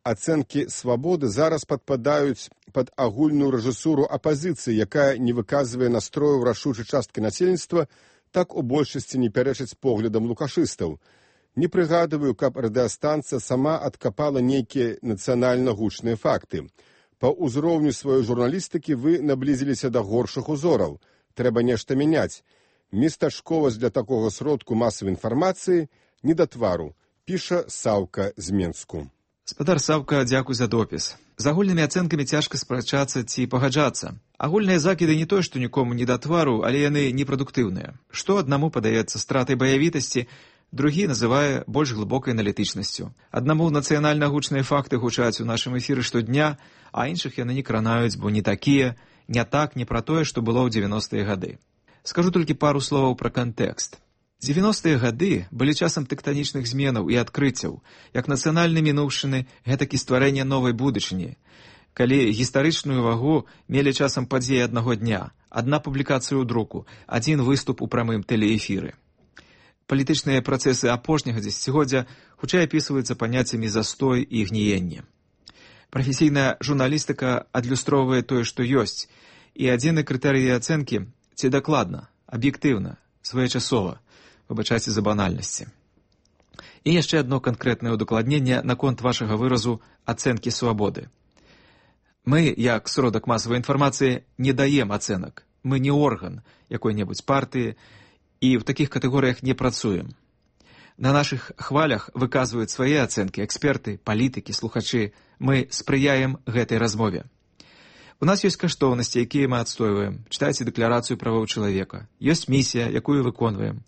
Speaker 5: Ацэнкі свабоды зараз падпадаюць пад агульную рэжысуру апазіцыі, якая не выказвае настрою рашучай часткі насельніцтва, так у большасці не пярэчыць поглядам лукашыстаў. Не прыгадываю, каб радыёстанцыя сама адкапала нейкія нацыянальна гучныя факты. Па ўзроўню сваёй журналістыкі вы наблізіліся да горшых узораў. Трэба нешта мяняць. Местачковасць для такога сродку масавай інфармацыі не да твару, піша Саўка з Менску.
Speaker 26: Спадар Саўка, дзякуй за допіс. З агульнымі ацэнкамі цяжка спрачацца ці пагаджацца. Агульныя закіды не тое, што нікому не да твару, але яны непрадуктыўныя. Што аднаму падаецца стратай баявітасці, другі называе больш глыбокай аналітычнасцю. Аднаму нацыянальна гучныя факты гучаць у нашым эфіры штодня, а іншых яны не кранаюць, бо не такія, не так, не пра тое, што было ў 90-е гады. Скажу толькі пару словаў пра кантэкст. 90-е гады былі часам тэктанічных зменаў і адкрыццяў, як нацыянальнай мінуўшчыны, гэтак і стварэння новай будучыні. Калі гістарычную вагу мелі часам падзеі аднаго дня, адна публікацыя ў друку, адзін выступ у прамым тэлеэфіры. Палітычныя працэсы апошняга дзесяцігоддзя хутчэй апісваюцца паняццямі застой і гніенне. Прафесійная журналістыка адлюстроўвае тое, што ёсць, і адзіны крытэрый ацэнкі – ці дакладна, аб'ектыўна, своечасова, выбачайце за банальнасці. І яшчэ адно канкрэтнае удакладненне наконт вашага выразу ацэнкі свабоды. Мы, як сродак масавай інфармацыі, не даем ацэнак. Мы не орган якой-небудзь партыі і ў такіх катэгорыях не працуем. На нашых хвалях выказваюць свае ацэнкі эксперты, палітыкі, слухачы. Мы спрыяем гэтай размове. У нас ёсць каштоўнасці, якія мы адстойваем. Чытайце дэкларацыю правоў чалавека. Ёсць місія, якую выконваем.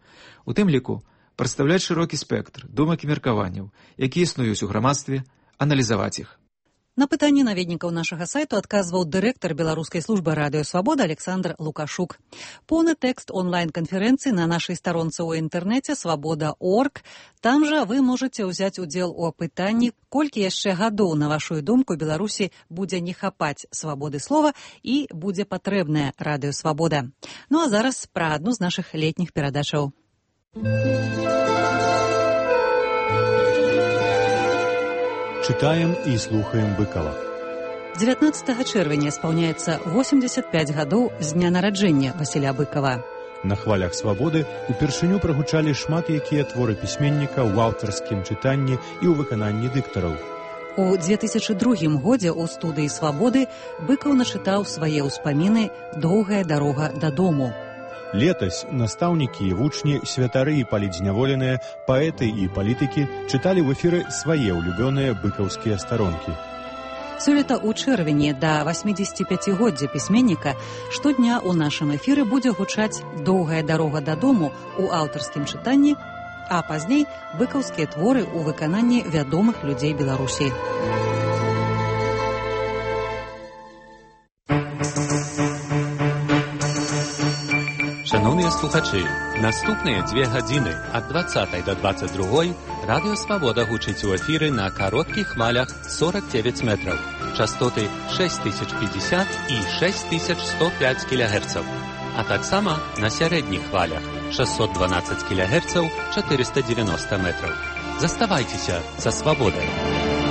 Speaker 26: У тым ліку прадстаўляць шырокі спектр думак і меркаванняў, якія існуюць у грамадстве, аналізаваць іх.
Speaker 2: На пытанні наведнікаў нашага сайту адказваў дырэктар беларускай службы радыё Свабода Александр Лукашук. Поўны тэкст онлайн-канферэнцыі на нашай старонцы ў інтэрнэце свабода.орг. Там жа вы можаце ўзяць удзел у апытанні, колькі яшчэ гадоў, на вашу думку, Беларусі будзе не хапаць свабоды слова і будзе патрэбная радыё Свабода. Ну а зараз пра адну з нашых летніх перадачаў.
Speaker 14: Чытаем і слухаем Быкова.
Speaker 2: 19 чэрвеня спаўняецца 85 гадоў з дня нараджэння Васіля Быкова.
Speaker 14: На хвалях свабоды упершыню прагучалі шмат якія творы пісьменніка ў аўтарскім чытанні і ў выкананні дыктараў.
Speaker 2: У 2002 годзе ў студыі «Свабоды» Быкаў начытаў свае ўспаміны «Доўгая дарога дадому».
Speaker 14: Летась настаўнікі і вучні, святары і палітзняволеныя, паэты і палітыкі чыталі ў эфіры свае ўлюбёныя быкаўскія старонкі.
Speaker 2: Сёлета ў чэрвені да 85-годдзя пісьменніка штодня ў нашым эфіры будзе гучаць «Доўгая дарога дадому» у аўтарскім чытанні, а пазней быкаўскія творы ў выкананні вядомых людзей Беларусі.
Speaker 15: Шановныя слухачы, наступныя 2 гадзіны ад 20 до 22 Радыё Свабода гучыць у эфіры на кароткіх хвалях 49 метраў, частоты 6050 і 6105 кГц, а таксама на сярэдніх хвалях 612 кГц 490 метраў. Заставайцеся са Свабодай!